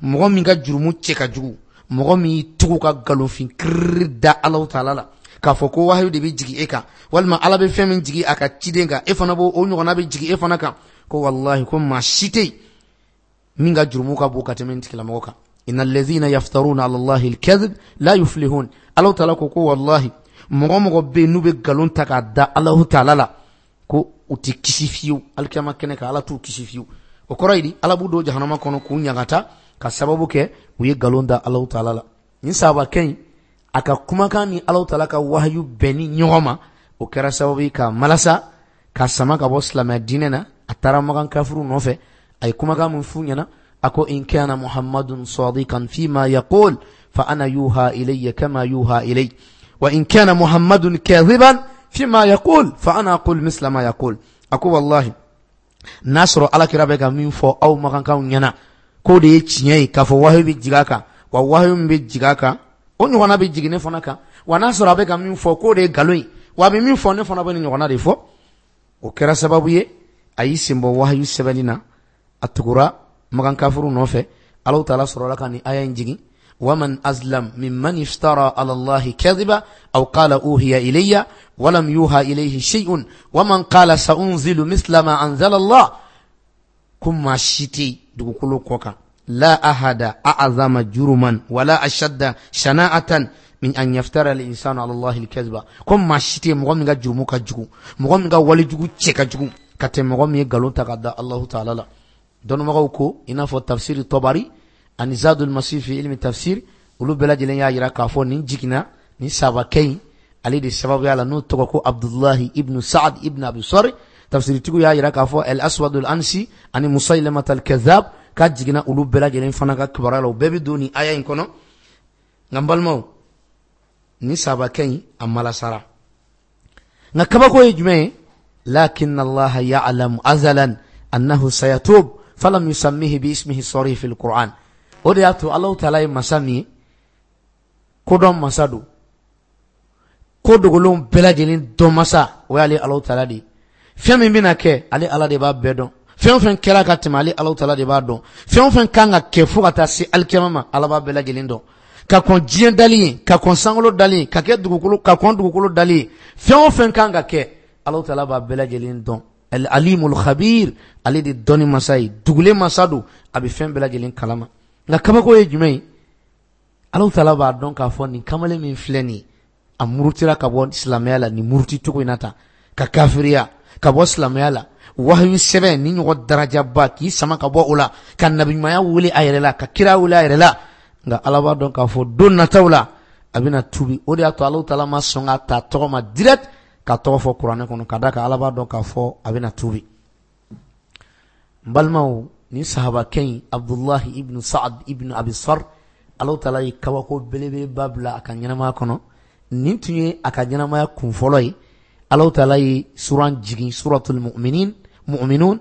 Speaker 1: mɔgɔ min ka jurumu cɛ ka jugu, mɔgɔ min y'i tugu ka nkalonfin kiriri da Alahu taala la k'a fɔ ko wahayu de bɛ jigin e kan, walima Ala bɛ fɛn min jigin a ka ciden kan, e fana b'o o ɲɔgɔnna bɛ jigin e fana kan. Ko wallahi ko maa si tɛ yen min ka jurumu ka bon ka tɛmɛ nin tigilamɔgɔ kan. Inna allazina yaftaruna ala Allahi al-kadhib la yuflihun. Alahu taala ko ko wallahi mɔgɔ mɔgɔ bɛ yen n'u bɛ nkalon ta k'a da Alahu taala la, ko u tɛ kisi fiyewu alikiyama kɛnɛ kan, Ala t'u kisi fiyewu. O kɔrɔ ye di? Ala b'u don jahanama kɔnɔ k'u ɲagata ka sababu kɛ u ye nkalon da Alahu taala la. Nin sahabakɛ in a ka kumakan ni Alahu taala ka wahayu bɛnni ɲɔgɔn ma, o kɛra sababu ye k'a malasa ka sama ka bɔ silamɛya diinɛ na. A taara makan kafiru nɔfɛ, a ye kumakan min f'u ɲɛna, a ko in kana Muhammadun sadiqan fima yaqul fa ana yuha ilayya kama yuha ilayhi, wa in kana Muhammadun kadhiban fima yaqul fa ana aqul misla ma yaqul. A ko wallahi n'a sɔrɔ alakira bɛ ka min fɔ aw makankaw ɲɛna k'o de ye tiɲɛ ye, k'a fɔ wahayu bɛ jigin a kan, wa wahayu min bɛ jigin a kan o ɲɔgɔnna bɛ jigin ne fana kan, wa n'a sɔrɔ a bɛ ka min fɔ k'o de ye nkalon ye, wa a bɛ min fɔ ne fana bɛ nin ɲɔgɔnna de fɔ. O kɛra sababu ye a y'i sen bɔ wahayu sɛbɛnni na, a tugura makan kafiru nɔfɛ. Alahu taala sɔrɔla ka nin aya in jigin, waman azlam mimman iftara ala Allahi kadhiba aw qala uhiya ilayya walam yuha ilayhi shay'un waman qala sa'unzilu misla ma anzala Allah. Ko maa si tɛ dugukolo kɔ kan, la ahada a'azama juruman wala ashadda shana'atan min an yaftara al-insanu ala Allahi al-kadhiba. Ko maa si tɛ mɔgɔ min ka jurumu ka jugu, mɔgɔ min ka walejugu cɛ ka jugu ka tɛmɛ mɔgɔ min ye nkalon ta ka da Alahu taala la. Dɔnnibagaw ko i n'a fɔ tafsiri Tabari ani Zadul Masih fi ilmi tafsir, olu bɛɛ lajɛlen y'a jira k'a fɔ nin jiginna nin sahabakɛ in ale de sababuya la, n'o tɔgɔ ko Abdullahi ibn Sa'd ibn Abi Sarh. Tafsiritigiw y'a jira k'a fɔ El Aswadul Ansi ani Musaylimat al-Kadhab k'a jiginna olu bɛɛ lajɛlen fana ka kibaruya la, u bɛɛ bɛ don nin aya in kɔnɔ. Nka n balimaw, ni sahabakɛ in a malasara. Nka kabako ye jumɛn ye? Lakin Allah ya'lamu azalan annahu sayatub falam yusammihi bi ismihi sarih fil Qur'an. O de y'a to Allahu Ta'ala ye masa min ye, kodɔn masa don, ko dogolenw bɛɛ lajɛlen dɔn masa, o y'ale Allahu Ta'ala de ye. Fɛn min bɛna kɛ, ale Ala de b'a bɛɛ dɔn. Fɛn o fɛn kɛra ka tɛmɛ, ale Allahu Ta'ala de b'a dɔn. Fɛn o fɛn kan ka kɛ fo ka taa se alikiyama ma, Ala b'a bɛɛ lajɛlen dɔn. Ka kɔn diɲɛ dali ye, ka kɔn sankolo dali ye, ka kɛ dugukolo, ka kɔn dugukolo dali ye, fɛn o fɛn kan ka kɛ, Allahu Ta'ala b'a bɛɛ lajɛlen dɔn. Al Alimul Khabir, ale de dɔnni masa ye, dugulen masa don, a bɛ fɛn bɛɛ lajɛlen kalama. Nka kabako ye jumɛn ye? Allahu Ta'ala b'a dɔn k'a fɔ nin kamalen min filɛ nin ye, a murutira ka bɔ silamɛya la nin muruti cogo in na tan, ka kafiriya ka bɔ silamɛya la, wahayu sɛbɛn ni ɲɔgɔn darajaba k'i sama ka bɔ o la, ka nabiɲumanya wele a yɛrɛ la, ka kira wele a yɛrɛ la. Nka Ala b'a dɔn k'a fɔ don nataw la a bɛna tubi. O de y'a to Allahu Ta'ala ma sɔn ka ta tɔgɔ ma direct ka tɔgɔ fɔ kuranɛ kɔnɔ, ka d'a kan Ala b'a dɔn k'a fɔ a bɛna tubi. N balimaw, nin sahabakɛ in Abdullahi ibn Sa'ad ibn Abi Sarh, Allahu Ta'ala ye kabako belebeleba bila a ka ɲɛnamaya kɔnɔ. Nin tun ye a ka ɲɛnamaya kun fɔlɔ ye. Allahu Ta'ala ye suran jigin, suratul mu'minin, mu'minun.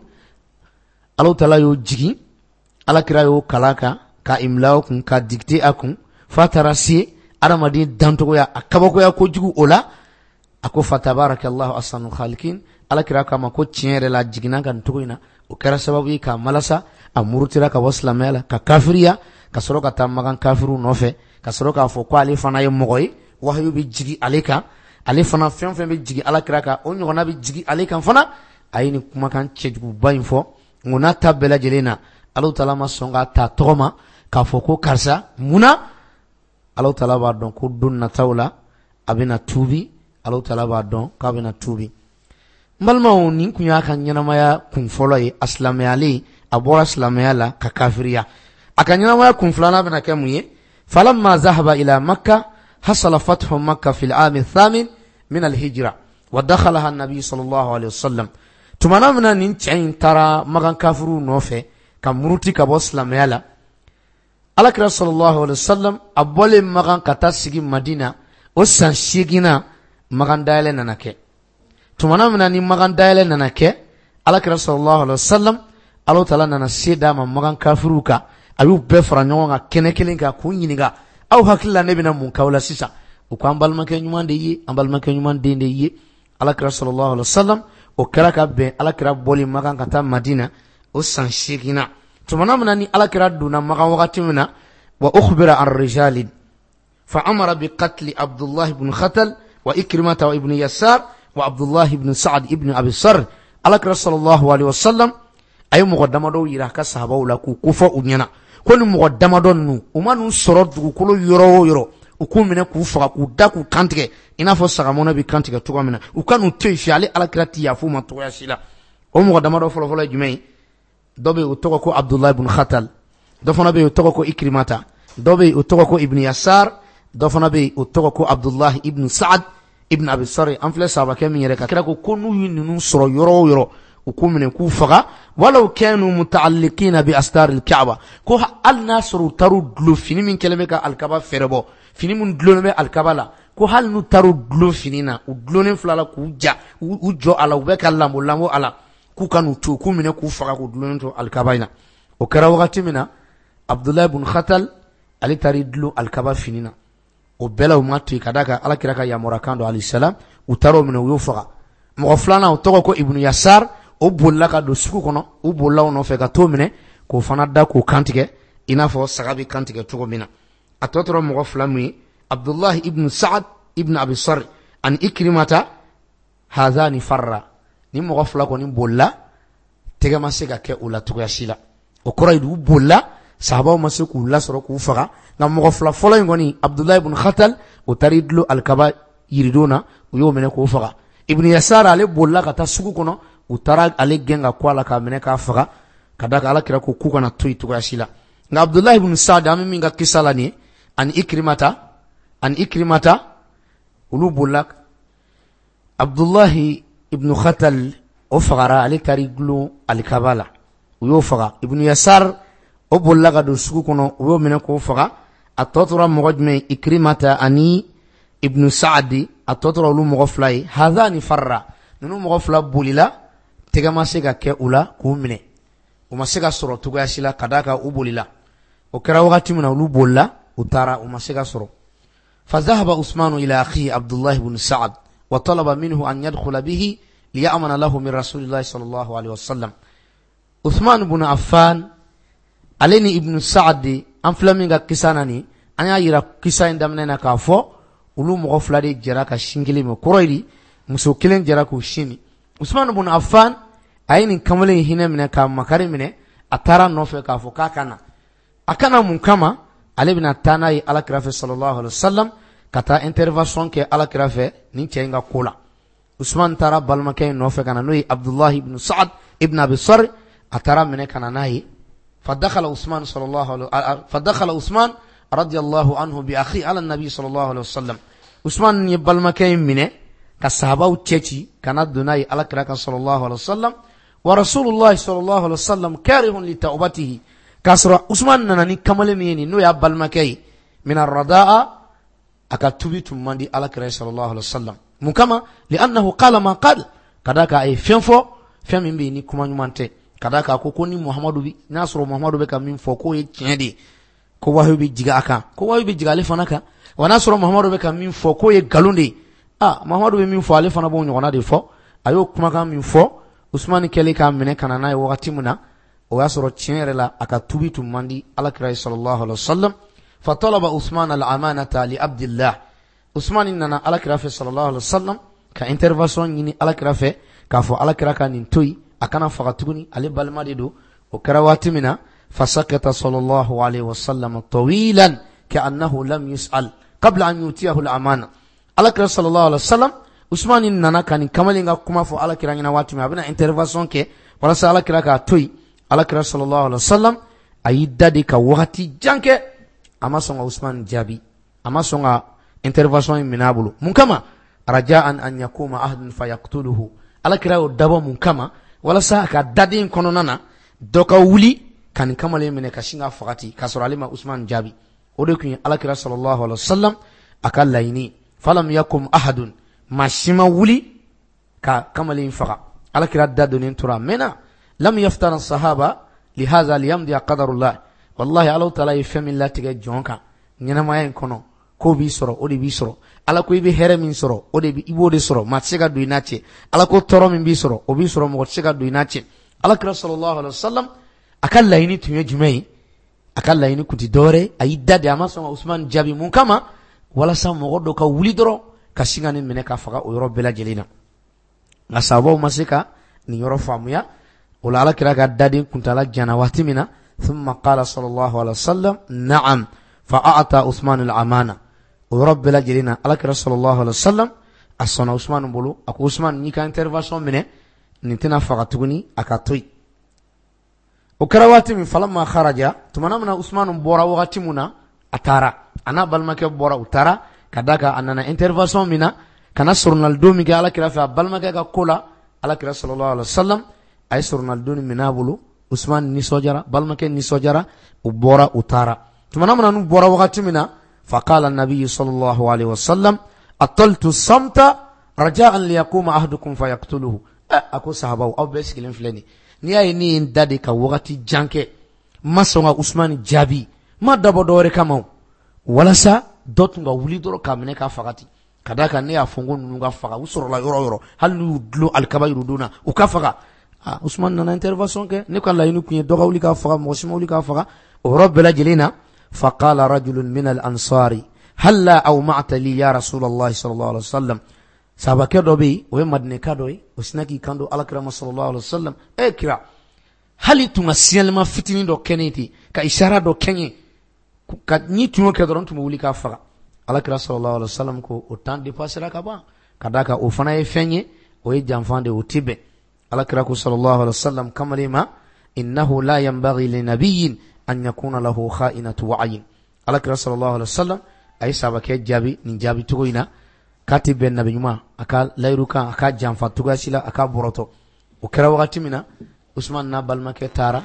Speaker 1: Allahu Ta'ala y'o jigin, Alakira y'o kalan kan, ka imla kun, ka dicté a kun, f'a taara se adamaden dantogoya a kabakoya kojugu o la. A ko fatabarakallahu ahsanul khaliqin. Alakira k'a ma ko tiɲɛ yɛrɛ la jiginna ka nin cogo in na. O kɛra sababu ye k'a malasa, a murutira ka bɔ silamɛya la, ka kafiriya, ka sɔrɔ ka taa magan kafiriw nɔfɛ, ka sɔrɔ k'a fɔ ko ale fana ye mɔgɔ ye, wahayu bɛ jigin ale kan, ale fana fɛn fɛn bɛ jigin Alakira kan, o ɲɔgɔnna bɛ jigin ale kan fana. A ye nin kumakan cɛjuguba in fɔ. Nka n'a ta bɛɛ lajɛlen na, Allahu Ta'ala ma sɔn k'a ta tɔgɔ ma k'a fɔ ko karisa. Munna? Allahu Ta'ala b'a dɔn ko don nataw la a bɛna tubi. Allahu Ta'ala b'a dɔn k'a bɛna tubi. N balimaw, nin kun y'a ka ɲɛnamaya kun fɔlɔ ye. A silamɛyalen, a bɔra silamɛya la ka kafiriya. A ka ɲɛnamaya kun filanan bɛna kɛ mun ye? Falamma zahaba ila Makka hasala fathu Makka fil aami thamin min al-hijra wa dakhalaha an-nabi sallallahu alayhi wa sallam. Tumana min na nin cɛ in taara magan kafiriw nɔfɛ ka muruti ka bɔ silamɛya la, Alakira sallallahu alayhi wa sallam a bɔlen magan ka taa sigi Madina, o san seeginna magan dayɛlɛ nana kɛ. Tumana min na ni magan dayɛlɛ nana kɛ, Alakira sallallahu alayhi wa sallam, Allahu Ta'ala nana se d'a ma magan kafiriw kan. A y'u bɛɛ fara ɲɔgɔn kan kɛnɛ kelen kan k'u ɲininka, aw hakili la ne bɛna mun k'aw la sisan? U ko an balimakɛ ɲuman de ye, an balimakɛ ɲuman den de ye. Alakira sallallahu alayhi wa sallam, o kɛra ka bɛn Alakira bɔli magan ka taa Madina o san seeginna. Tumana min na ni Alakira donna magan wagati min na, wa ukhbira an rijalin fa amara bi qatli Abdullah ibn Khatal wa Ikrimata wa ibn Yasar wa Abdullah ibn Sa'ad ibn Abi Sarh. Alakira sallallahu alayhi wa sallam a ye mɔgɔ damadɔw yira a ka sahabaw la k'u kofɔ u ɲɛna ko ni mɔgɔ damadɔ ninnu, u ma n'u sɔrɔ dugukolo yɔrɔ o yɔrɔ, u k'u minɛ k'u faga, k'u da k'u kantigɛ i n'a fɔ sagamɔnɔ bɛ kantigɛ cogo min na, u ka n'u to yen fiyewu. Ale Alakira ti yafa u ma cogoya si la. O mɔgɔ damadɔ fɔlɔfɔlɔ ye jumɛn ye? Dɔ bɛ yen o tɔgɔ ko Abdullah ibn Khatal, dɔ fana bɛ yen o tɔgɔ ko Ikrimata, dɔ bɛ yen o tɔgɔ ko Ibn Yasar, dɔ fana bɛ yen o tɔgɔ ko Abdullah ibn Sa'ad ibn Abi Sarh. An filɛ sahabakɛ min yɛrɛ kan, kira ko ko n'u ye ninnu sɔrɔ yɔrɔ o yɔrɔ, u k'u minɛ k'u faga. Walaw kanu muta'alliqina bi astar al-Ka'ba, ko hali n'a sɔrɔ u taar'u dulon fini min kɛlen bɛ ka alikaba fɛrɛ bɔ, fini min dulonnen bɛ alikaba la, ko hali n'u taar'u dulon fini na, u dulonnen fila la k'u ja, u jɔ a la, u bɛ ka lambo lambo a la, k'u ka n'u to, k'u minɛ k'u faga, k'u dulonnen to alikaba in na. O kɛra wagati min na, Abdullah ibn Khatal ale taar'i dulon alikaba fini na. O bɛɛ la u ma to yen, ka d'a kan Alakira ka yamaruyakan don alayhi salam, u taar'o minɛ, u y'o faga. Mɔgɔ filanan o tɔgɔ ko Ibn Yasar, o bolila ka don sugu kɔnɔ, u bolila o nɔfɛ ka t'o minɛ k'o fana da k'o kantigɛ i n'a fɔ saga bɛ kantigɛ cogo min na. A tɔ tora mɔgɔ fila min ye, Abdullah ibn Sa'ad ibn Abi Sarh ani Ikrimata, hazani farra. Ni mɔgɔ fila kɔni bolila, tɛgɛ ma se ka kɛ u la cogoya si la. O kɔrɔ ye u bolila, sahabaw ma se k'u lasɔrɔ k'u faga. Nka mɔgɔ fila fɔlɔ in kɔni, Abdullah ibn Khatal, o taar'i dulon alikaba yiridon na, u y'o minɛ k'o faga. Ibn Yasar ale bolila ka taa sugu kɔnɔ, u taara ale gɛn ka kɔ a la k'a minɛ k'a faga, ka d'a kan Alakira ko k'u kana to yen cogoya si la. Nka Abdullah ibn Sa'ad, an bɛ min ka kisa la nin ye, ani Ikrimata, ani Ikrimata, olu bolila. Abdullah ibn Khatal O fagara, ale taar'i gulon alikaba la, u y'o faga. Ibnu Yasar, o bolila ka don sugu kɔnɔ, u y'o minɛ k'o faga. A tɔ tora mɔgɔ jumɛn? Ikrimata ani Ibnu Saadi, a tɔ tora olu mɔgɔ fila ye. Hadani farra, ninnu mɔgɔ fila bolila, tɛgɛ ma se ka kɛ u la k'u minɛ, u ma se ka sɔrɔ cogoya si la, ka d'a kan u bolila. O kɛra wagati min na, olu bolila, u taara, u ma se ka sɔrɔ. فذهب عثمان إلى أخيه عبد الله بن سعد وطلب منه أن يدخل به ليأمن له من رسول الله صلى الله عليه وسلم. Uthman ibn Affan ale ni Ibn Sa'ad, an filɛ min ka kisa na nin, an y'a yira kisa in daminɛ na k'a fɔ olu mɔgɔ fila de jɛra ka sin kelen min, kɔrɔ ye di, muso kelen jɛra k'u sin min. Usman ibn Affan a ye nin kamalen in hinɛ minɛ k'a makari minɛ, a taara nɔfɛ k'a fɔ k'a ka na. A kana mun kama? Ale bɛna taa n'a ye Ala kira fɛ sallallahu alaihi wasallam, ka taa intervention kɛ Ala kira fɛ nin cɛ in ka ko la. Usman taara balimakɛ in nɔfɛ ka na, n'o ye Abdullahi ibn Sa'ad ibn Abi Sarr, a taara minɛ ka na n'a ye. فدخل عثمان صلى الله عليه فدخل عثمان رضي الله عنه بأخي على النبي صلى الله عليه وسلم. Usman ye balimakɛ in minɛ ka sahabaw cɛci ka na don n'a ye Ala kira kan sallallahu alaihi wasallam. Wa Rasulullah sallallahu alaihi wasallam karihun li tawbatihi, k'a sɔrɔ Usman nana ni kamalen min ye nin, n'o y'a balimakɛ ye min arradaa, a ka tubi tun man di Ala kira sallallahu alaihi wasallam. Mun kama? Li'annahu qala ma qala, ka d'a kan a ye fɛn fɔ, fɛn min bɛ yen ni kuma ɲuman tɛ, ka d'a kan ko ko ni Muhamadu bi n'a sɔrɔ Muhamadu bɛ ka min fɔ k'o ye tiɲɛ de ye, ko wahiyu bɛ jigin a kan, ko wahiyu bɛ jigin ale fana kan. Wa n'a sɔrɔ Muhamadu bɛ ka min fɔ k'o ye nkalon de ye, ah, Muhamadu bɛ min fɔ, ale fana b'o ɲɔgɔnna de fɔ. A y'o kumakan min fɔ, Usmani kɛlen k'a minɛ ka na n'a ye wagati min na, o y'a sɔrɔ tiɲɛ yɛrɛ la a ka tubi tun man di Ala kira ye sallallahu alaihi wasallam. Fatalaba Usman al-amanata li Abdillah. Usmani nana Ala kira fɛ sallallahu alaihi wasallam ka intervention ɲini Ala kira fɛ, k'a fɔ Ala kira ka nin to yen, a kana faga tuguni, ale balima de don. O kɛra waati min na, fasakata sallallahu alaihi wasallam tawilan ka'annahu lam yus'al qabla an yutiyahu al-amana. Ala kira sallallahu alaihi wasallam, Usmani nana ka nin kamalen ka kuma fɔ Ala kira ɲɛna waati min, a bɛna intervention kɛ walasa Ala kira k'a to yen. Ala kira sallallahu alaihi wasallam a y'i da de ka wagati jan kɛ, a ma sɔn ka Usman jaabi, a ma sɔn ka intervention in minɛ a bolo. Mun kama? Raja'an an yakuma ahadun fayaqtuluhu. Ala kira y'o dabɔ mun kama? Walasa a ka daden kɔnɔna na dɔ ka wuli ka nin kamalen minɛ ka sin ka faga ten, k'a sɔrɔ ale ma Usman jaabi. O de tun ye Ala kira sallallahu alaihi wasallam a ka laɲini. Falam yakum ahadun, maa si ma wuli ka kamalen faga. Ala kira da donnen tora a mɛnna. Lam yaftana sahaba lihaza liyamdiya qadarullah. Wallahi, Ala taala ye fɛn min latigɛ jɔn kan ɲɛnamaya in kɔnɔ, k'o b'i sɔrɔ, o de b'i sɔrɔ. Ala ko i bɛ hɛrɛ min sɔrɔ, o de i b'o de sɔrɔ, maa tɛ se ka don i n'a cɛ. Ala ko tɔɔrɔ min b'i sɔrɔ, o b'i sɔrɔ, mɔgɔ tɛ se ka don i n'a cɛ. Ala kira sallallahu alaihi wasallam a ka laɲini tun ye jumɛn ye? A ka laɲini kun tɛ dɔwɛrɛ, a y'i da de, a ma sɔn ka Usman jaabi. Mun kama? Walasa mɔgɔ dɔ ka wuli dɔrɔn ka sin ka nin minɛ ka faga o yɔrɔ bɛɛ lajɛlen na. Nka sahabaw ma se ka nin yɔrɔ faamuya. O la, Ala kira ka daden kuntala jana waati min na, thumma qala sallallahu alaihi wasallam na'am, fa a'ta Usman al-amana. O yɔrɔ bɛɛ lajɛlen na, Ala kira sallallahu alaihi wasallam a sɔnna Usman bolo. A ko Usman, n'i ka intervention minɛ, nin tɛna faga tuguni, a ka to yen. O kɛra waati min, falamma kharaja, tumana min na Usman bɔra wagati min na, a taara, a n'a balimakɛ bɔra, u taara, ka d'a kan a nana intervention min na ka na soronalidon min kɛ Ala kira fɛ a balimakɛ ka ko la, Ala kira sallallahu alaihi wasallam a ye soronalidon minɛ a bolo. Usman nisɔndiyara, balimakɛ nisɔndiyara, u bɔra, u taara. Tumana min na n'u bɔra wagati min na, faqala nabiyyu sallallahu alaihi wasallam ataltu samta raja'an liyaquma ahadukum fayaqtuluhu. A ko sahabaw, aw bɛɛ sigilen filɛ nin, n'i y'a ye ne ye n da de ka wagati jan kɛ, n ma sɔn ka Usman jaabi, n ma dabɔ dɔwɛrɛ kama o, walasa dɔ tun ka wuli dɔrɔn k'a minɛ k'a faga ten, ka d'a kan ne y'a fɔ n ko ninnu ka faga, u sɔrɔla yɔrɔ o yɔrɔ, hali n'u y'u dulon alikaba yurudon na, u ka faga. Ah, Usman nana intervention kɛ, ne ka laɲini kun ye dɔ ka wuli k'a faga, mɔgɔ si ma wuli k'a faga. O yɔrɔ bɛɛ lajɛlen na, faqala rajulun min al-ansari halla awma'ta li ya Rasulallah sallallahu alaihi wasallam. Sahabakɛ dɔ bɛ yen, o ye Madinɛka dɔ ye, o sinna k'i kanto Ala kira ma sallallahu alaihi wasallam, e kira, hali tun ka signalement fitinin dɔ kɛ ne ten, ka isara dɔ kɛ n ye, ka n'i tun y'o kɛ dɔrɔn, n tun bɛ wuli k'a faga. Ala kira sallallahu alaihi wasallam ko o temps dépassera ka ban, ka d'a kan o fana ye fɛn ye, o ye janfan de ye, o tɛ bɛn. Ala kira ko sallallahu alaihi wasallam kamalen ma, innahu la yanbaghi li nabiyyin an yakuna lahu kha'inatu wa'yin. Ala kira sallallahu alaihi wasallam a ye sahabakɛ jaabi nin jaabi cogo in na, k'a tɛ bɛn nabi ɲuman a ka layiru kan a ka janfa cogoya si la, a ka bɔrɔtɔ. O kɛra wagati min na, Usman n'a balimakɛ taara,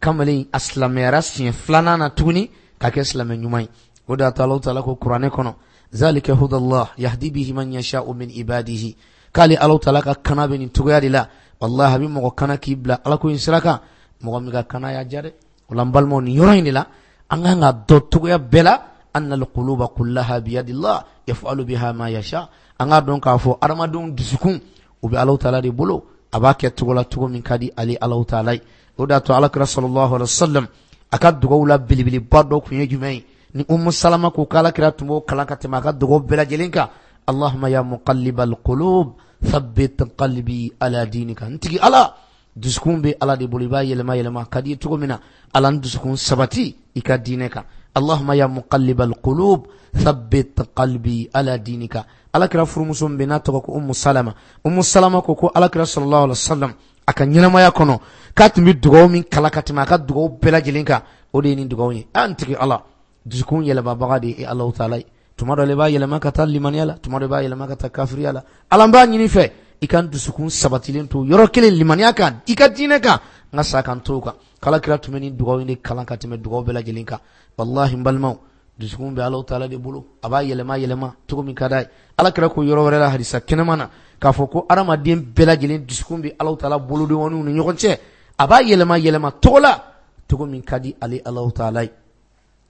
Speaker 1: kamalen a silamɛyara siɲɛ filanan na tuguni ka kɛ silamɛ ɲuman ye. O de y'a to Alahu taala ko kuranɛ kɔnɔ, zalika hudallah yahdi bihi man yasha'u min ibadihi, k'ale Alahu taala ka kana bɛ nin cogoya de la. Wallahi a bɛ mɔgɔ kana k'i bila Ala ko in sira kan, mɔgɔ min ka kana y'a diya dɛ. O la n balimaw, nin yɔrɔ in de la an kan ka dɔn cogoya bɛɛ la, anna alquluba kullaha biyadillah yaf'alu biha ma yasha. An k'a dɔn k'a fɔ adamadenw dusukun u bɛ Alahu taala de bolo, a b'a kɛ cogo la cogo min ka di ale Alahu taala ye. O de y'a to Alakira sallallahu alaihi wasallam a ka dugawu la belebeleba dɔ tun ye jumɛn ye? Ni Umu Salama ko k'Alakira tun b'o kalan ka tɛmɛ a ka dugawu bɛɛ lajɛlen kan, Allahumma ya muqallibal qulub thabbit qalbi ala dinika. N tigi Ala, dusukun bɛ Ala de bolo, i b'a yɛlɛma yɛlɛma ka di cogo min na, Ala n dusukun sabati i ka diinɛ kan. Allahumma ya muqallibal qulub thabbit qalbi ala dinika. Alakira furumuso min bɛ n'a tɔgɔ ko Umu Salama, Umu Salama ko ko Alakira sallallahu alaihi wasallam a ka ɲɛnamaya kɔnɔ k'a tun bɛ dugawu min kalan ka tɛmɛ a ka dugawu bɛɛ lajɛlen kan, o de ye nin dugawu ye. An tigi Ala, dusukun yɛlɛmabaga de ye Alahu taala ye. Tuma dɔ la i b'a yɛlɛma ka taa limaniya la, tuma dɔ i b'a yɛlɛma ka taa kafiriya la. Ala b'a ɲini fɛ i ka dusukun sabatilen to yɔrɔ kelen limaniya kan, i ka diinɛ kan, n ka sa kan to kan. K'Alakira tun bɛ nin dugawu in de kalan ka tɛmɛ dugawu bɛɛ lajɛlen kan. Wallahi n balimaw, dusukun bɛ Alahu taala de bolo, a b'a yɛlɛma yɛlɛma cogo min ka d'a ye. Alakira ko yɔrɔ wɛrɛ la hadisa kɛnɛma na k'a fɔ ko adamaden bɛɛ lajɛlen dusukun bɛ Alahu taala bolodenwaniw ni ɲɔgɔn cɛ, a b'a yɛlɛma yɛlɛma cogo la cogo min ka di ale Alahu taala ye.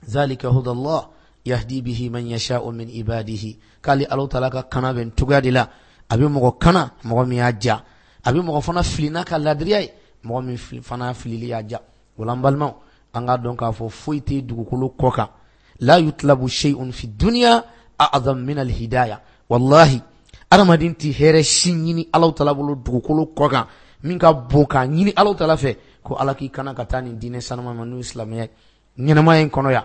Speaker 1: Zalika hudallah yahdi bihi man yasha'u min ibadihi. K'ale Alahu taala ka kana bɛ cogoya de la, a bɛ mɔgɔ kana mɔgɔ min y'a ja, a bɛ mɔgɔ fana fili n'a ka ladiriya ye, mɔgɔ min fana filili y'a ja. O la n balimaw, an k'a dɔn k'a fɔ foyi tɛ dugukolo kɔ kan, la yutlabu shay'un fi dunya a'zam min al-hidayah. Wallahi adamaden tɛ hɛrɛ si ɲini Alahu taala bolo dugukolo kɔ kan min ka bon k'a ɲini Alahu taala fɛ ko Ala k'i kana ka taa nin diinɛ sanuma ma n'o ye silamɛya ye. Ɲɛnamaya in kɔnɔ yan,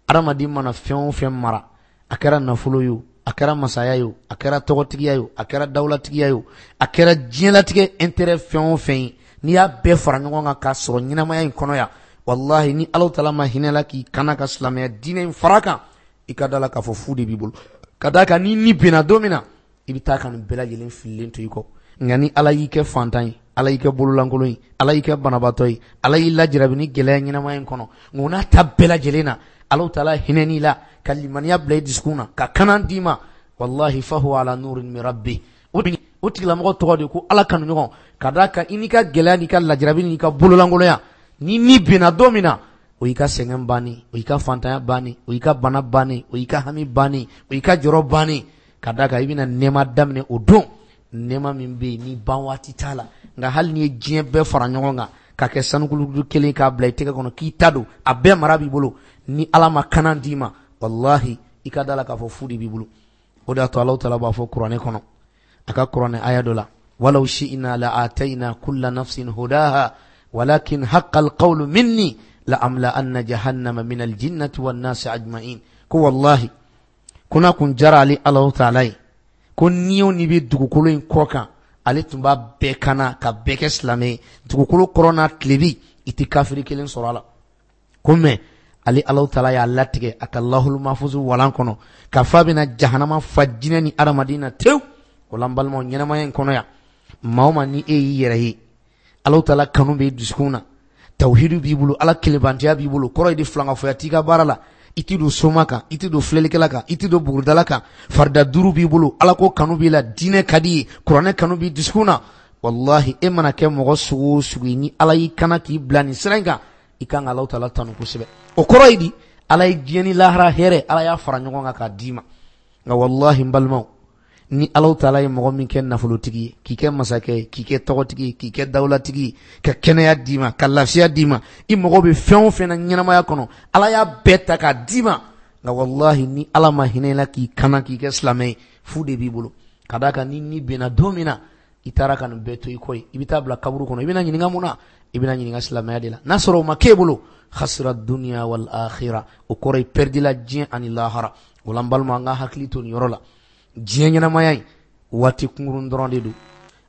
Speaker 1: adamaden mana fɛn o fɛn mara, a kɛra nafolo ye o, a kɛra masaya ye o, a kɛra tɔgɔtigiya ye o, a kɛra dawulatigiya ye o, a kɛra diɲɛlatigɛ intérêt fɛn o fɛn ye, n'i y'a bɛɛ fara ɲɔgɔn kan k'a sɔrɔ ɲɛnamaya in kɔnɔ yan, wallahi ni Alahu taala ma hinɛ la k'i kana ka silamɛya diinɛ in fara kan, i ka da la k'a fɔ fu de b'i bolo. Ka d'a kan ni ni binna don min na, i bɛ taa ka nin bɛɛ lajɛlen fililen to i kɔ. Nka ni Ala y'i kɛ fantan ye, Ala y'i kɛ bololankolon ye, Ala y'i kɛ banabaatɔ ye, Ala y'i lajarabi ni gɛlɛya ɲɛnamaya in kɔnɔ, nka o n'a ta bɛɛ lajɛlen na, Alahu taala hinɛ n'i la ka limaniya bila i dusukun na ka kana d'i ma, wallahi fahuwa ala nurin min rabbi. O tigilamɔgɔ tɔgɔ de ko Ala kanu ɲɔgɔn. Ka d'a kan i n'i ka gɛlɛya n'i ka lajarabi n'i ka bololankolonya, ni ni binna don min na, o y'i ka sɛgɛn bannen, o y'i ka fantanya bannen, o y'i ka bana bannen, o y'i ka hami bannen, o y'i ka jɔrɔ bannen. Ka d'a kan i bɛna nɛɛma daminɛ o don, nɛɛma min bɛ yen ni ban waati t'a la. Nka hali n'i ye diɲɛ bɛɛ fara ɲɔgɔn kan ka kɛ sanukulu kelen k'a bila i tɛgɛ kɔnɔ k'i ta don, a bɛɛ mara b'i bolo, ni Ala ma kana d'i ma, wallahi i ka da la k'a fɔ fu de b'i bolo. O de y'a to Alahu taala b'a fɔ kuranɛ kɔnɔ, a ka kuranɛ aya dɔ la, walaw shi'na la atayna kulla nafsin hudaha walakin haqqal qawlu minni la amla anna jahannama min aljinnati wan nasi ajma'in. Ko wallahi ko n'a kun jara ale Alahu taala ye, ko ni o ni bɛ dugukolo in kɔ kan, ale tun b'a bɛɛ kana ka bɛɛ kɛ silamɛ ye, dugukolo kɔrɔ n'a tilebi i tɛ kafiri kelen sɔrɔ a la. Ko mɛ ale Alahu taala y'a latigɛ a ka lahulu mafuzu walan kɔnɔ k'a fɔ a bɛna jahanama fa jinɛ ni adamaden na tewu. O la n balimaw, ɲɛnamaya in kɔnɔ yan, maa o maa ni e y'i yɛrɛ ye, Alahu taala kanu b'i dusukun na, tawhidu b'i bolo, Ala kelenbantiya b'i bolo, kɔrɔ ye di filankafoya t'i ka baara la, i t'i don soma kan, i t'i don filɛlikɛla kan, i t'i don bugudala kan, farida duuru b'i bolo, Ala ko kanu b'i la, diinɛ ka di ye, kuranɛ kanu b'i dusukun na, wallahi e mana kɛ mɔgɔ sugu o sugu ye, ni Ala y'i kana k'i bila nin sira in kan, i kan ka Alahu taala tanu kosɛbɛ. O kɔrɔ ye di, Ala ye diɲɛ ni lahara hɛrɛ, Ala y'a fara ɲɔgɔn kan k'a d'i ma. Nka wallahi n balimaw, ni Alahu taala ye mɔgɔ min kɛ nafolotigi ye, k'i kɛ masakɛ ye, k'i kɛ tɔgɔtigi ye, k'i kɛ dawulatigi ye, ka kɛnɛya d'i ma, ka lafiya d'i ma, i mago bɛ fɛn o fɛn na ɲɛnamaya kɔnɔ, Ala y'a bɛɛ ta k'a d'i ma. Nka wallahi ni Ala ma hinɛ i la k'i kana k'i kɛ silamɛ ye, fu de b'i bolo. Ka d'a kan ni ni binna don min na, i taara ka nin bɛɛ to i kɔ ye, i bɛ taa bila kaburu kɔnɔ, i bɛna ɲininka mun na? I bɛna ɲininka silamɛya de la. N'a sɔrɔ o ma k'e bolo, khasira dunya wal akhirah, o kɔrɔ ye perdila diɲɛ ani lahara. O la n balima, an ka hakili to nin yɔrɔ la. Diɲɛ ɲɛnamaya in waati kunkurun dɔrɔn de don,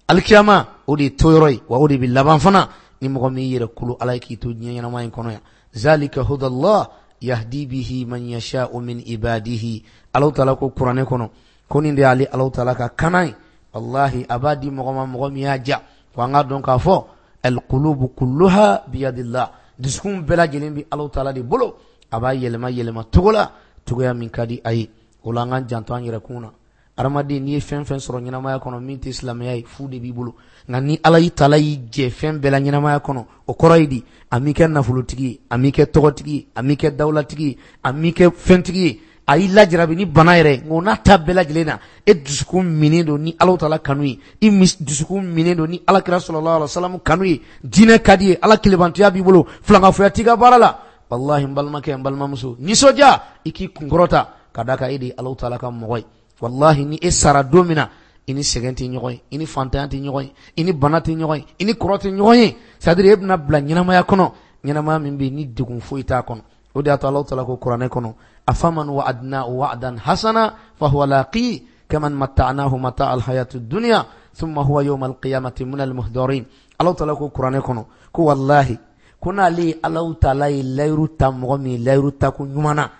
Speaker 1: alikiyama o de ye toyɔrɔ ye, wa o de bɛ laban fana. Ni mɔgɔ min y'i yɛrɛ kolo Ala ye k'i to diɲɛ ɲɛnamaya in kɔnɔ yan, zalika hudallah yahdi bihi man yasha'u min ibadihi. Alahu taala ko kuranɛ kɔnɔ ko nin de y'ale Alahu taala ka kana ye, wallahi a b'a di mɔgɔ ma mɔgɔ min y'a ja. Ko an k'a dɔn k'a fɔ alqulubu kulluha biyadillah, dusukun bɛɛ lajɛlen bɛ Alahu taala de bolo, a b'a yɛlɛma yɛlɛma cogo la cogoya min ka di a ye. O la an k'an janto an yɛrɛ kun na. Adamaden n'i ye fɛn fɛn sɔrɔ ɲɛnamaya kɔnɔ min tɛ silamɛya ye, fu de b'i bolo. Nka ni Ala y'i taala y'i jɛ fɛn bɛɛ la ɲɛnamaya kɔnɔ, o kɔrɔ ye di? A m'i kɛ nafolotigi ye, a m'i kɛ tɔgɔtigi ye, a m'i kɛ dawulatigi ye, a m'i kɛ fɛntigi ye, a y'i lajarabi ni bana yɛrɛ ye. Nka o n'a ta bɛɛ lajɛlen na, e dusukun minen don ni Alahu taala kanu ye, i dusukun minen don ni Ala kira sallallahu alaihi wasallam kanu ye, diinɛ ka di ye, Ala kelebantiya b'i bolo, filankafoya t'i ka baara la. Walahi n balimakɛ, n balimamuso, nisɔndiya i k'i kunkɔrɔta ka d'a kan e de ye Alahu taala ka mɔgɔ ye. Walahi ni e sara don min na, i ni sɛgɛn tɛ ɲɔgɔn ye, i ni fantanya tɛ ɲɔgɔn ye, i ni bana tɛ ɲɔgɔn ye, i ni kɔrɔ tɛ ɲɔgɔn ye. C'est à dire e bɛna bila ɲɛnamaya kɔnɔ, ɲɛnamaya min bɛ yen ni degun foyi t'a kɔnɔ. O de y'a to Alahu taala ko kuranɛ kɔnɔ, afaman wa'adnahu wa'dan hasana fahuwa laqi kaman matta'nahu mata'a al-hayati dunya thumma huwa yawma al-qiyamati min al-muhdarin. Alahu taala ko kuranɛ kɔnɔ ko walahi ko n'ale ye Alahu taala ye layiru ta mɔgɔ min ye layiru ta ko ɲuman na,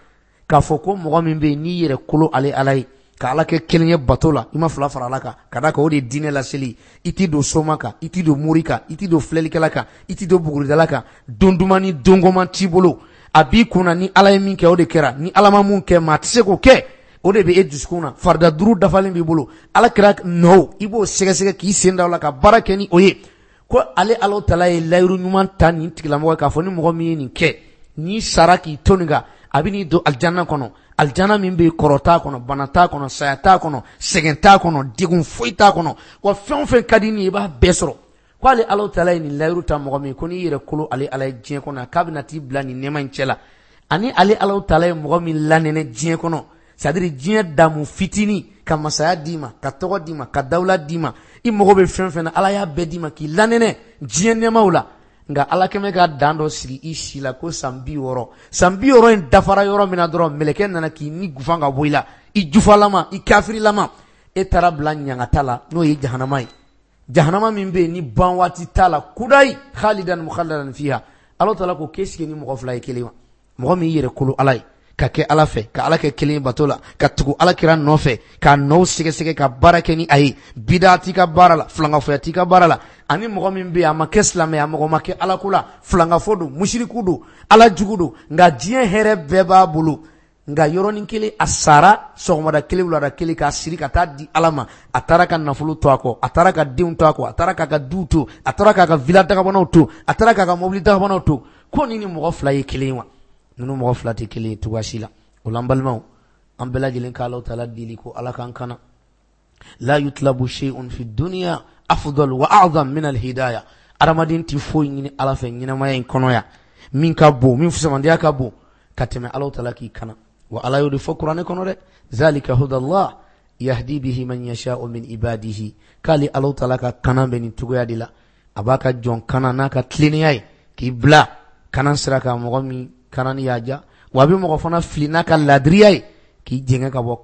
Speaker 1: k'a fɔ ko mɔgɔ min bɛ yen n'i yɛrɛ kolo ale Ala ye, ka Ala kɛ kelen ye bato la, i ma fila fara Ala kan, ka d'a kan o de ye diinɛ laseli. I t'i don soma kan, i t'i don mori kan, i t'i don filɛlikɛla kan, i t'i don buguridala kan, don duman ni don goman t'i bolo. A b'i kunna ni Ala ye min kɛ o de kɛra, ni Ala ma mun kɛ maa tɛ se k'o kɛ, o de bɛ e dusukun na. Farida duuru dafalen b'i bolo, Ala kɛra nɔ, i b'o sɛgɛsɛgɛ k'i sen da o la ka baara kɛ ni o ye. Ko ale Alahu taala ye layiru ɲuman ta nin tigilamɔgɔ ye, k'a fɔ ni mɔgɔ min ye nin kɛ, n'i sara k'i to nin kan, a bɛ n'i don alijana kɔnɔ. Alijana min bɛ yen kɔrɔ t'a kɔnɔ, bana t'a kɔnɔ, saya t'a kɔnɔ, sɛgɛn t'a kɔnɔ, degun foyi t'a kɔnɔ, wa fɛn o fɛn ka di ni ye i b'a bɛɛ sɔrɔ. Ko ale Alahu taala ye nin layiru ta mɔgɔ min ko n'i yɛrɛ kolo ale Ala ye diɲɛ kɔnɔ, k'a bɛna t'i bila nin nɛɛma in cɛ la. Ani ale Alahu taala ye mɔgɔ min lanɛnɛ diɲɛ kɔnɔ, c'est à dire diɲɛ damu fitinin, ka masaya d'i ma, ka tɔgɔ d'i ma, ka dawula d'i ma, i mago bɛ fɛn fɛn na Ala y'a bɛɛ d'i ma k'i lanɛnɛ diɲɛ nɛɛmaw la. Nka Ala kɛmɛ ka dan dɔ sigi i si la ko san bi wɔɔrɔ, san bi wɔɔrɔ in dafara yɔrɔ min na dɔrɔn, mɛlɛkɛ nana k'i ni gufan ka bɔ i la, i jufalama, i kafirilama, e taara bila ɲangata la, n'o ye jahanama ye. Jahanama min bɛ yen ni ban waati t'a la, kudayi khalidan mukhalladan fiha. Alahu taala ko k'e sigi ni mɔgɔ fila ye kelen wa? Mɔgɔ min yɛrɛ kolo Ala ye, ka kɛ Ala fɛ, ka Ala kɛ kelen bato la, ka tugu Ala kira nɔfɛ, k'a nɔw sɛgɛsɛgɛ, ka baara kɛ ni a ye, bida t'i ka baara la, filankafoya t'i ka baara la. Ani mɔgɔ min bɛ yen a ma kɛ silamɛ, a mɔgɔ ma kɛ Ala ko la, filankafo don, musiriku don, Ala jugu don, nka diɲɛ hɛrɛ bɛɛ b'a bolo. Nka yɔrɔnin kelen a sara sɔgɔmada kelen wulada kelen k'a siri ka taa di Ala ma. A taara ka nafolo to a kɔ, a taara ka denw to a kɔ, a taara k'a ka du to, a taara k'a ka villa dagabanaw to, a taara k'a ka mobili dagabanaw to. Ko ni ni mɔgɔ fila ye kelen wa? Ninnu mɔgɔ fila tɛ kelen ye cogoya si la. O la n balimaw, an bɛɛ lajɛlen ka Alahu taala deli ko Ala k'an kana. La yutlabu shay'un fi dunya afdal wa a'zam min al-hidayah. Adamaden tɛ foyi ɲini Ala fɛ ɲɛnamaya in kɔnɔ yan min ka bon, min fusamandiya ka bon ka tɛmɛ Alahu taala k'i kana. Wa Ala y'o de fɔ kuranɛ kɔnɔ dɛ, zalika hudallah yahdi bihi man yasha'u min ibadihi. K'ale Alahu taala ka kana bɛ nin cogoya de la, a b'a ka jɔn kana n'a ka tilennenya ye k'i bila kana sira kan mɔgɔ min kana ni y'a ja, wa a bɛ mɔgɔ fana fili n'a ka ladiriya ye k'i jɛngɛ ka bɔ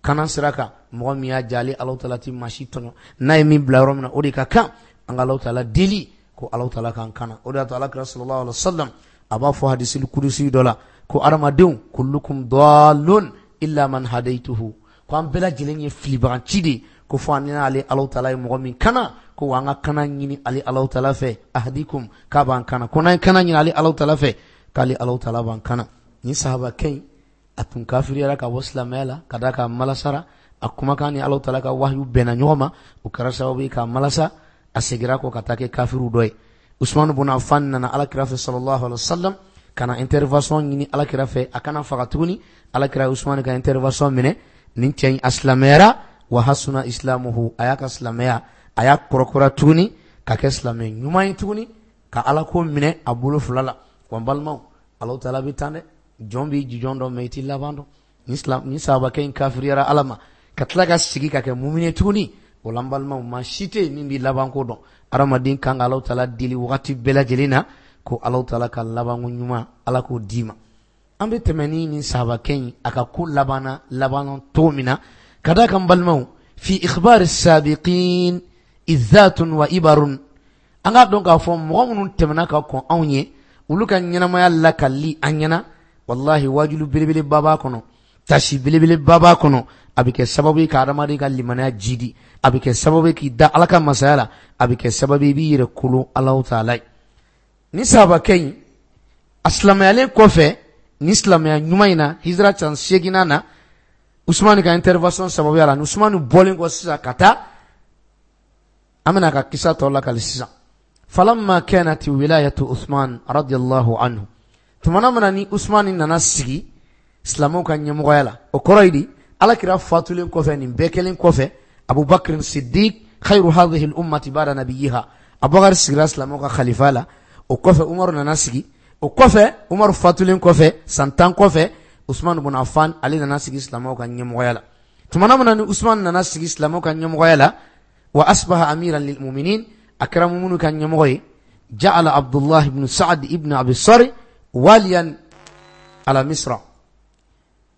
Speaker 1: kana sira kan mɔgɔ min y'a ja. Ale Alahu taala ti maa si tɔɲɔ, n'a ye min bila yɔrɔ min na o de ka kan. An ka Alahu taala deli ko Alahu taala k'an kana. O de y'a to Ala kira sallallahu alaihi wasallam a b'a fɔ hadisul kudusi dɔ la ko adamadenw kullukum dallun illa man hadaytuhu, ko an bɛɛ lajɛlen ye filibaganci de ye, ko fo an n'ale Alahu taala ye mɔgɔ min kana, ko an ka kana ɲini ale Alahu taala fɛ, ahdikum, k'a b'an kana, ko n'an ye kana ɲini ale Alahu taala fɛ, k'ale Alahu taala b'an kana. Ni sahabakɛ in a tun kafiriyara ka bɔ silamɛya la ka d'a kan malasara, a kumakan ni Alahu taala ka wahyu bɛnna ɲɔgɔn ma, o kɛra sababu ye k'a malasa, a seginna kɔ ka taa kɛ kafiriw dɔ ye. Usman ibn Affan nana Ala kira fɛ sallallahu alaihi wasallam ka na intervention ɲini Ala kira fɛ, a kana faga tuguni. Ala kira Usman ka intervention minɛ, nin cɛ in a silamɛyara, wa hasuna islamuhu, a y'a ka silamɛya a y'a kɔrɔkɔrɔ tuguni ka kɛ silamɛ ɲuman ye tuguni, ka Ala ko minɛ a bolo fila la. Wa n balimaw, Alahu taala bɛ tan dɛ, jɔn b'i jijɔn dɔn mɛ i t'i laban dɔn. Ni silam ni sahabakɛ in kafiriyara Ala ma ka tila ka sigi ka kɛ mumini tuguni, o la n balimaw, maa si tɛ yen min b'i labanko dɔn. Adamaden kan ka Alahu taala deli wagati bɛɛ lajɛlen na ko Alahu taala ka labanko ɲuman Ala k'o d'i ma. An bɛ tɛmɛ ni nin sahabakɛ in a ka ko labanna labanna cogo min na, ka d'a kan balimaw, fi ikhbari sabiqin izzatun wa ibarun. An k'a dɔn k'a fɔ mɔgɔ minnu tɛmɛna ka kɔn anw ye, olu ka ɲɛnamaya lakali an ɲɛna, wallahi wajulu belebeleba b'a kɔnɔ, tasi belebeleba b'a kɔnɔ, A bɛ kɛ sababu ye ka adamaden ka limaniya jidi, a bɛ kɛ sababu ye k'i da Ala ka masaya la, a bɛ kɛ sababu ye i b'i yɛrɛ kolon Alahu taala ye. Ni sahabakɛ in a silamɛyalen kɔfɛ, ni silamɛya ɲuman in na, hijira san seeginnan na, Usumani ka intervention sababuya la, ni Usumani bɔlen kɔ sisan ka taa, an bɛna ka kisa tɔ lakali sisan. Falamma kanat wilayatu Usman radiyallahu anhu, tumana min na ni Usumani nana sigi silamɛw ka ɲɛmɔgɔya la, o kɔrɔ ye di, Ala kira fatulen kɔfɛ, nin bɛɛ kɛlen kɔfɛ, Abubakar Siddiq khayru hadhihi al-ummati ba'da nabiyyiha, Abubakar sigira silamɛw ka khalifa la, o kɔfɛ Umaru nana sigi, o kɔfɛ Umaru fatulen kɔfɛ san tan kɔfɛ, Usman ibn Affan ale nana sigi silamɛw ka ɲɛmɔgɔya la. Tumana min na ni Usman nana sigi silamɛw ka ɲɛmɔgɔya la, wa asbaha amiran lil mu'minin, a kɛra mumunu ka ɲɛmɔgɔ ye, ja'ala Abdullah ibn Sa'd ibn Abi Sarh waliyan ala Misra.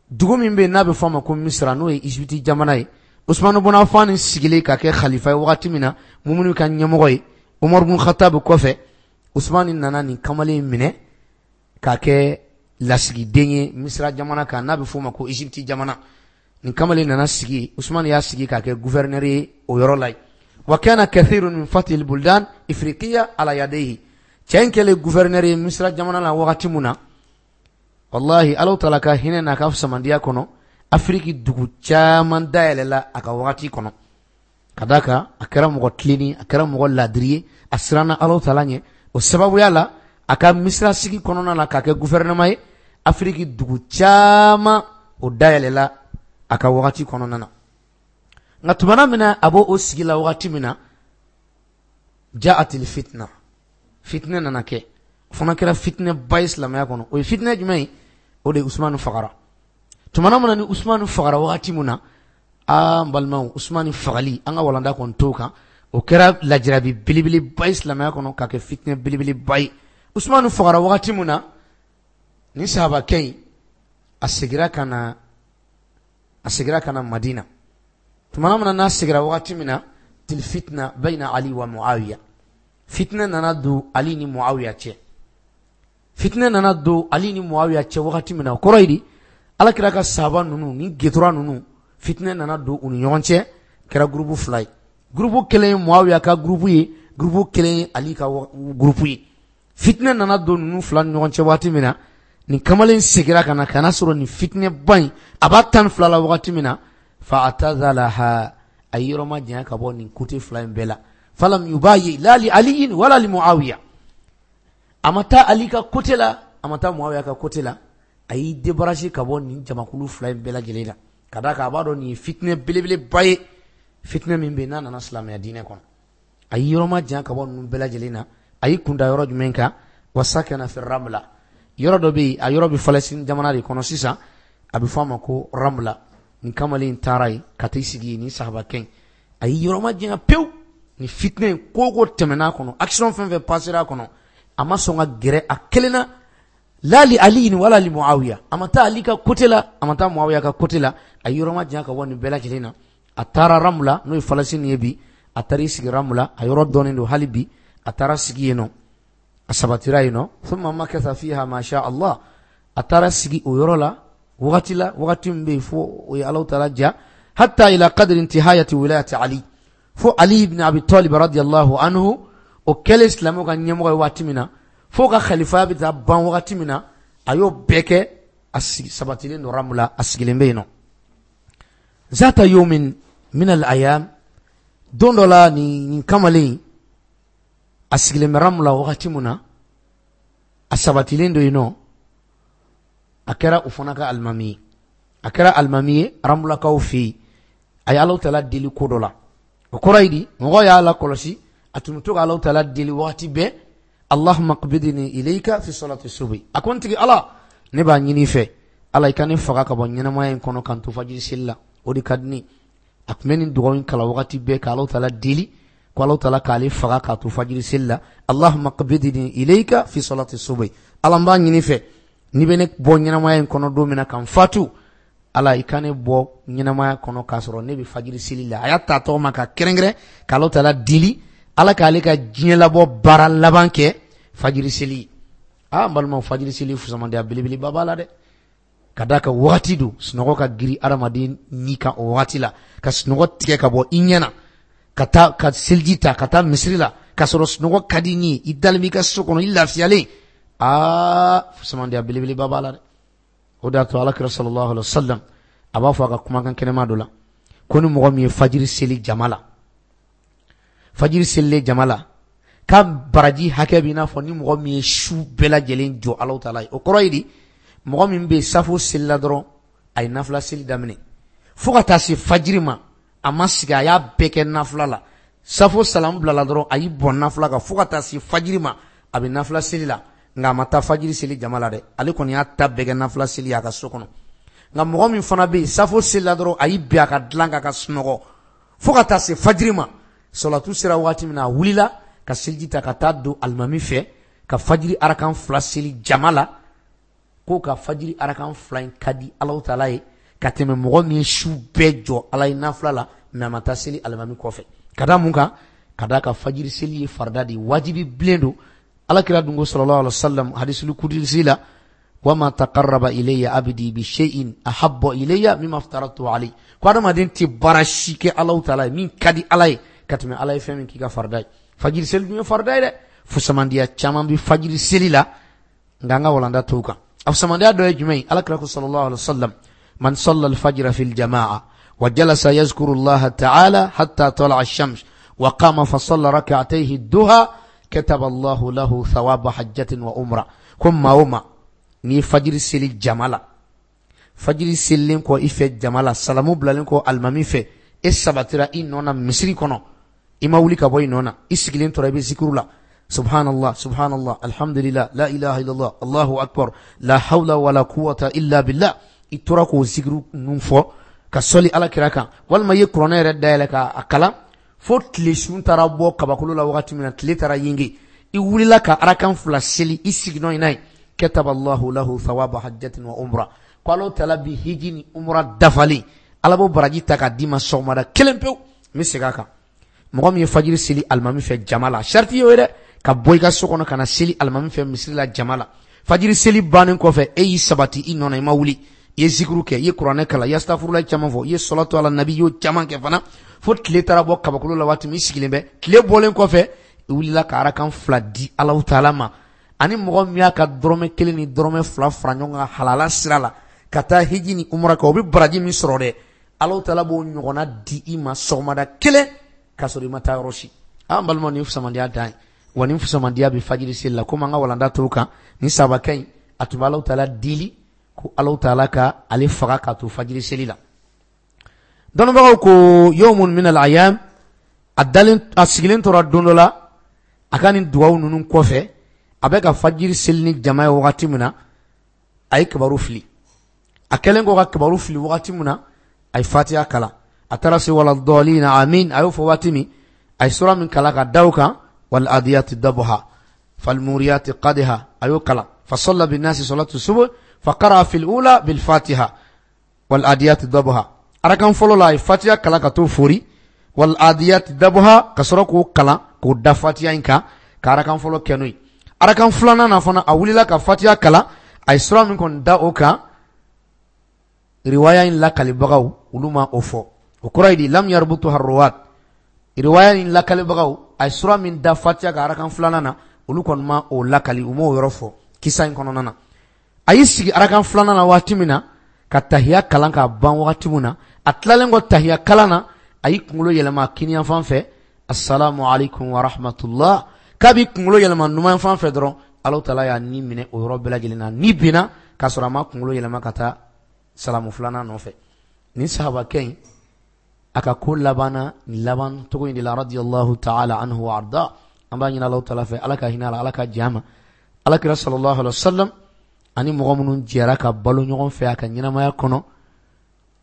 Speaker 1: Dugu min bɛ yen n'a bɛ fɔ a ma ko Misra, n'o ye Egypte jamana ye, Usman ibn Affan sigilen ka kɛ khalifa ye wagati min na, mumunu ka ɲɛmɔgɔ ye, Umar ibn Khattab kɔfɛ, Usman nana nin kamalen minɛ k'a kɛ lasigiden ye Misra jamana kan, n'a bɛ fɔ o ma ko Egypte jamana. Nin kamalen nana sigi, Usman y'a sigi k'a kɛ gouverneur ye o yɔrɔ la yen. Wa kana kathirun min fathi al-buldan ifriqiya ala yadayhi. Cɛ in kɛlen gouverneur ye Misra jamana la wagati mun na, wallahi Alahu taala ka hinɛ n'a ka samandiya kɔnɔ, Afiriki dugu caman dayɛlɛla a ka wagati kɔnɔ. Ka d'a kan a kɛra mɔgɔ tilennen, a kɛra mɔgɔ ladiri ye, a siranna Alahu taala ɲɛ. O sababuya la, a ka Misra sigi kɔnɔna la k'a kɛ gouvernement ye, Afiriki dugu caman o dayɛlɛla a ka wagati kɔnɔna na. Nka tumana min na a b'o o sigi la wagati min na, ja'atil fitna, fitinɛ nana kɛ. O fana kɛra fitinɛ ba ye silamɛya kɔnɔ. O ye fitinɛ jumɛn ye? O de ye Usumani fagara. Tumana min na ni Usumani fagara wagati min na, aa n balimaw, Usumani fagali, an ka walanda kɔni t'o kan, o kɛra lajarabi belebeleba ye silamɛya kɔnɔ, k'a kɛ fitinɛ belebeleba ye. Usumani fagara wagati min na, ni sahabakɛ in a segira ka na, a segira ka na Madina. Tumana min na n'a segira wagati min na, til fitna bayna Ali wa Muawiya, fitinɛ nana don Ali ni Muawiya cɛ. Fitinɛ nana don Ali ni Muawiya cɛ wagati min na, o kɔrɔ ye di, Ala kira ka sahaba ninnu ni getura ninnu, fitinɛ nana don u ni ɲɔgɔn cɛ, kɛra gurupu fila ye. Gurupu kelen ye Muawiya ka gurupu ye, gurupu kelen ye Ali ka gurupu ye. Fitinɛ nana don ninnu fila ni ɲɔgɔn cɛ wagati min na, nin kamalen segira ka na, ka na sɔrɔ nin fitinɛba in a b'a tan ni fila la wagati min na, fa atazalaha, a ye yɔrɔ ma janya ka bɔ nin kote fila in bɛɛ la. Falam yubayi la li aliyin wala li Muawiya, a ma taa Ali ka kote la, a ma taa Muawiya ka kote la, a y'i débarrasser ka bɔ nin jamakulu fila in bɛɛ lajɛlen la. Ka d'a kan a b'a dɔn nin ye fitinɛ belebeleba ye, fitinɛ min bɛ yen n'a nana silamɛya diinɛ kɔnɔ. A y'i yɔrɔ ma janya ka bɔ ninnu bɛɛ lajɛlen na. A y'i kunda yɔrɔ jumɛn kan? Wa sakana fi Ramla, yɔrɔ dɔ bɛ yen, a yɔrɔ bɛ Palestine jamana de kɔnɔ sisan, a bɛ fɔ a ma ko Ramla. Nin kamalen in taara yen ka t'i sigi yen, nin sahabakɛ in a y'i yɔrɔ ma janya pewu. Nin fitinɛ in ko o ko tɛmɛna a kɔnɔ, action fɛn fɛn passera a kɔnɔ, a ma sɔn ka gɛrɛ a kelen na, la li Ali wala li Muawiya, a ma taa Ali ka côté la, a ma taa Muawiya ka côté la, a y'i yɔrɔ ma janya ka bɔ nin bɛɛ lajɛlen na. A taara Ramla, n'o ye Palestine ye bi, a taara i sigi Ramla, a yɔrɔ dɔnnen don hali bi, a taara sigi yen nɔ, a sabatira yen nɔ. Thumma makatha fiha ma sha Allah, a taara sigi o yɔrɔ la wagati la, wagati min bɛ yen fo o ye Alahu taala ja, hatta ila qadri intihayati wilayati Ali, fo Ali ibn Abi Talib radiyallahu anhu, o kɛlen silamɛw ka ɲɛmɔgɔ ye waati min na, fo ka khalifaya bɛ taa ban wagati min na, a y'o bɛɛ kɛ, a sigi sabatilen don Ramla, a sigilen bɛ yen nɔ. Zata yawmin min al-ayam, don dɔ la nin nin kamalen a sigilen bɛ Ramla wagati min na, a sabatilen don yen nɔ, a kɛra o fana ka alimami ye, a kɛra alimami ye Ramlakaw fɛ yen. A ye Alahu taala deli ko dɔ la, o kɔrɔ ye di, mɔgɔw y'a lakɔlɔsi, a tun bɛ to ka Alahu taala deli wagati bɛɛ, Allahumma qbidni ilayka fi salati subhi, a ko n tigi Ala, ne b'a ɲini i fɛ, Ala i ka ne faga ka bɔ ɲɛnamaya in kɔnɔ ka n to fajiri seli la, o de ka di ne. A tun bɛ nin dugawu in kalan wagati bɛɛ ka Alahu taala deli ko Alahu taala k'ale faga k'a to fajiri seli la, Allahumma qbidni ilayka fi salati subhi, Ala n b'a ɲini fɛ, n'i bɛ ne bɔ ɲɛnamaya in kɔnɔ don min na ka n fatu, Ala i ka ne bɔ ɲɛnamaya kɔnɔ k'a sɔrɔ ne bɛ fajiri seli la. A y'a ta tɔgɔ ma ka kɛrɛnkɛrɛn ka Alahu taala deli, Ala k'ale ka diɲɛ labɔ baara laban kɛ fajiri seli. Aa n balimaw, fajiri seli fusamandenya belebeleba b'a la dɛ. Ka d'a kan wagati don sunɔgɔ ka giri adamaden ni kan o wagati la, ka sunɔgɔ tigɛ ka bɔ i ɲɛ na, ka taa ka seliji ta ka taa misiri la, ka sɔrɔ sunɔgɔ ka di ni i dalen b'i ka so kɔnɔ, i lafiyalen. Aa, fusamandiya belebeleba b'a la dɛ. O de y'a to Alakira sallallahu alaihi wa sallam a b'a fɔ a ka kumakan kɛnɛma dɔ la ko ni mɔgɔ min ye fajiri seli jama la, fajiri selilen jama la, k'a baraji hakɛ b'i n'a fɔ ni mɔgɔ min ye su bɛɛ lajɛlen jɔ Alahu taala ye. O kɔrɔ ye di, mɔgɔ min bɛ safo selila dɔrɔn a ye nafila seli daminɛ fo ka taa se fajiri ma, a ma sigi, a y'a bɛɛ kɛ nafila la. Safo salamu bilala dɔrɔn a y'i bɔn nafila kan fo ka taa se fajiri ma, a bɛ nafila seli la, nka a ma taa fajiri seli jama la dɛ, ale kɔni y'a ta bɛɛ kɛ nafila seli a ka so kɔnɔ. Nka mɔgɔ min fana bɛ yen safo selila dɔrɔn a y'i bin a ka dilan kan ka sunɔgɔ fo ka taa se fajiri ma, sɔlatu sera waati min na a wulila ka seliji ta ka taa don alimami fɛ ka fajiri arakan fila seli jama la, ko ka fajiri arakan fila in ka di Alahu taala ye ka tɛmɛ mɔgɔ min ye su bɛɛ jɔ Ala ye nafila la mɛ a ma taa seli alimami kɔfɛ. Ka da mun kan? Ka da ka fajiri seli ye farida de ye, wajibi bilen don. Alakira dun ko sallallahu alaihi wasallam hadisul kudusi la, wama taqarraba ilayya abdi bi shay'in ahabba ilayya mimma aftaratu alayhi. Ko adamaden tɛ baara si kɛ Alahu taala ye min ka di Ala ye ka tɛmɛ Ala ye fɛn min k'i ka farida ye. Fajiri seli dun ye farida ye dɛ. Fusamandiya caman bɛ fajiri seli la, nka an ka walanda t'o kan. A fusamandiya dɔ ye jumɛn ye? Alakira ko sallallahu alaihi wasallam, man salla al-fajra fil jama'a wa jalasa yazkuru Allah ta'ala hatta tala'a ash-shams wa qama fa salla rak'atayhi ad-duha kataba Allahu lahu thawaba hajjatin wa umra. Ko maa o maa n'i ye fajiri seli jama la, fajiri selilen kɔ i fɛ jama la, salamu bilalen kɔ alimami fɛ, e sabatira i nɔ na misiri kɔnɔ, i ma wuli ka bɔ i nɔ na, i sigilen tora i bɛ zikiru la, subhanallah subhanallah alhamdulillah la ilaha illallah allahu akbar la hawla wala quwwata illa billah, i tora k'o zikiru ninnu fɔ ka sɔli Ala kira kan, walima i ye kuranɛ yɛrɛ dayɛlɛ k'a kalan fo tile sun taara bɔ kabakolo la wagati min na, tile taara yenge, i wulila ka arakan fila seli i siginɔ in n'a ye, kataba Allahu lahu thawaba hajjatin wa umra. Ko Alahu taala bi hiji ni umra dafalen, Ala b'o baraji ta k'a d'i ma sɔgɔmada kelen pewu. N bɛ segin a kan, mɔgɔ min ye fajiri seli alimami fɛ jama la, sariti y'o ye dɛ, ka bɔ i ka so kɔnɔ ka na seli alimami fɛ misiri la jama la, fajiri seli bannen kɔfɛ e y'i sabati i nɔ na, i ma wuli, i ye zikiru kɛ, i ye kuranɛ kalan, i ye astafurulayi caman fɔ, i ye sɔlatu ala nabi, i y'o caman kɛ fana fo tile taara bɔ kabakolo la waati min i sigilen bɛ, tile bɔlen kɔfɛ i wulila ka arakan fila di Alahu taala ma. Ani mɔgɔ min y'a ka dɔrɔmɛ kelen ni dɔrɔmɛ fila fara ɲɔgɔn kan halala sira la ka taa hiji ni umra kɛ, o bɛ baraji min sɔrɔ dɛ, Alahu taala b'o ɲɔgɔnna di i ma sɔgɔmada kelen k'a sɔrɔ i ma taa yɔrɔ si. An balimaw, nin fusamandiya dan ye, wa nin fusamandiya bɛ fajiri seli la. Komi an ka walanda t'o kan, nin sabakɛ in a tun bɛ Alahu taala deli ko Alahu taala ka ale faga k'a to fajiri seli la. Dɔnnibagaw ko yawmun min al-ayyam, a dalen a sigilen tora don dɔ la a ka nin dugawu ninnu kɔfɛ, a bɛ ka fajiri seli ni jama ye wagati min na, a ye kibaru fili. A kɛlen kɔ ka kibaru fili wagati min na, a ye fatiha kalan, a taara se wala dɔlina amin, a y'o fɔ waati min, a ye sura min kalan ka da o kan, wal adiyati dabha fal muriyati qadha, a y'o kalan. Fa salla bin nasi salatu subh fa qara'a fil ula bil fatiha wal adiyati dabha. Arakan fɔlɔ la a ye fatiha kalan ka t'o fori, wal adiyati dabha, ka sɔrɔ k'o kalan k'o da fatiha in kan ka arakan fɔlɔ kɛ n'o ye. Arakan filanan na fana a wulila ka fatiha kalan, a ye sura min kɔni da o kan, riwaya in lakalibagaw olu ma o fɔ. O kɔrɔ ye di, lam yarbutu harruwat, riwaya in lakalibagaw a ye sura min da fatiha ka arakan filanan na, olu kɔni ma o lakali, u m'o yɔrɔ fɔ kisa in kɔnɔna na. A y'i sigi arakan filanan na waati min na ka tahiya kalan k'a ban waati min na, a tilalen kɔ tahiya kalan na, a y'i kunkolo yɛlɛma kiniyanfan fɛ, assalamu alaikum wa rahmatullah. K'a b'i kunkolo yɛlɛma numanfan fɛ dɔrɔn, Alahu taala y'a ni minɛ o yɔrɔ bɛɛ lajɛlen na, ni binna k'a sɔrɔ a ma kunkolo yɛlɛma ka taa salamu filanan nɔfɛ. Nin sahabakɛ in a ka ko labanna nin laban cogo in de la, radiyallahu ta'ala anhu wa arda. An b'a ɲini Alahu taala fɛ, Ala ka hinɛ a la, Ala ka jɛ a ma. Alakira sallallahu alaihi wa sallam ani mɔgɔ minnu jɛra ka balo ɲɔgɔn fɛ a ka ɲɛnamaya kɔnɔ,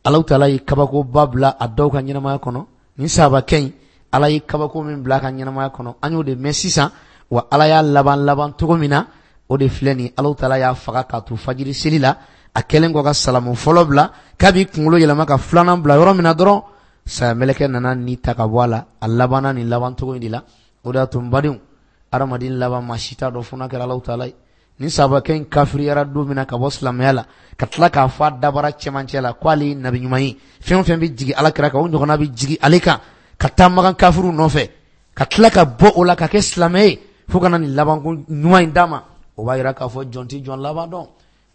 Speaker 1: Alahu taala ye kabakoba bila a dɔw ka ɲɛnamaya kɔnɔ. Nin sahabakɛ in Ala ye kabako min bila a ka ɲɛnamaya kɔnɔ, an y'o de mɛn sisan, wa Ala y'a laban laban cogo min na, o de filɛ nin. Alahu taala y'a faga k'a to fajiri seli la, a kɛlen kɔ ka salamu fɔlɔ bila, k'a b'i kunkolo yɛlɛma ka filanan bila yɔrɔ min na dɔrɔn, saya mɛlɛkɛ nana ni ta ka bɔ a la, a labanna nin laban cogo in de la. O de y'a to n badenw, adamaden laban maa si t'a dɔn fo n'a kɛra Alahu taala ye. Ni sahabakɛ in kafiriyara don min na ka bɔ silamɛya la, ka tila k'a fɔ a dabara cɛmancɛ la k'ale ye nabi ɲuman ye, fɛn o fɛn bɛ jigin ala kira kan o ɲɔgɔnna bɛ jigin ale kan, ka taa Makan kafiriw nɔfɛ, ka tila ka bɔ o la ka kɛ silamɛ ye fo ka na nin labanko ɲuman in d'a ma. O b'a yira k'a fɔ jɔn tɛ jɔn laban dɔn,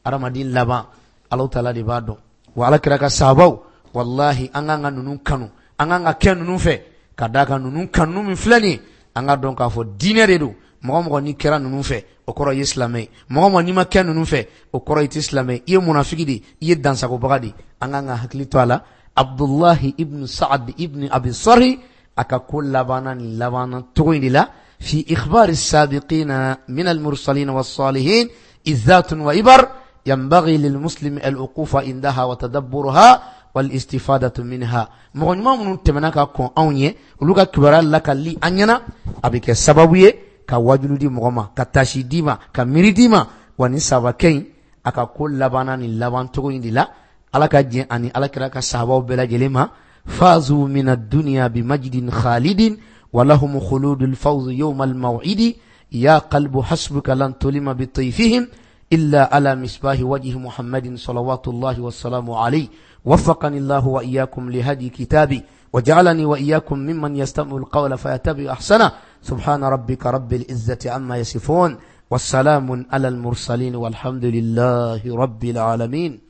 Speaker 1: adamaden laban Alahu taala de b'a dɔn. Wa ala kira ka sahabaw, walahi an k'an ka ninnu kanu, an k'an ka kɛ ninnu fɛ, ka d'a kan ninnu kanu min filɛ nin ye, an ka dɔn k'a fɔ diinɛ de don. Mɔgɔ mɔgɔ n'i kɛra ninnu fɛ, o kɔrɔ i ye silamɛ ye. Mɔgɔ mɔgɔ n'i ma kɛ ninnu fɛ, o kɔrɔ i tɛ silamɛ ye, i ye munafiki de ye, i ye dansagobaga de ye. An k'an ka hakili to a la. Abdullahi ibn Sa'ad ibn Abi Sarhi a ka ko labanna nin labanna cogo in de la. Fi ikhbari sabiqina min al-mursalin was-salihin izzatun wa ibar yanbaghi lil muslimi al-uqufa indaha wa tadabburuha wal istifadatu minha. Mɔgɔ ɲuman minnu tɛmɛna ka kɔn anw ye, olu ka kibaruya lakali an ɲɛna, a bɛ kɛ sababu ye ka wajulu di mɔgɔ ma, ka tasi d'i ma, ka miiri d'i ma. Wa ni sahabakɛ in a ka ko labanna nin laban cogo in de la. Ala ka diɲɛ ani ala kira ka sahabaw bɛɛ lajɛlen ma. Fazu min ad-dunya bi majdin khalidin wa lahum khuludul fawz yawm al-maw'idi ya qalbu hasbuka lan tulima bi tayfihim illa ala misbahi wajhi Muhammadin salawatullahi wassalamu alayhi. وفقني الله وإياكم لهدي كتابي وجعلني وإياكم ممن يستمع القول فيتبع أحسنه. سبحان ربك رب العزة عما يصفون والسلام على المرسلين والحمد لله رب العالمين.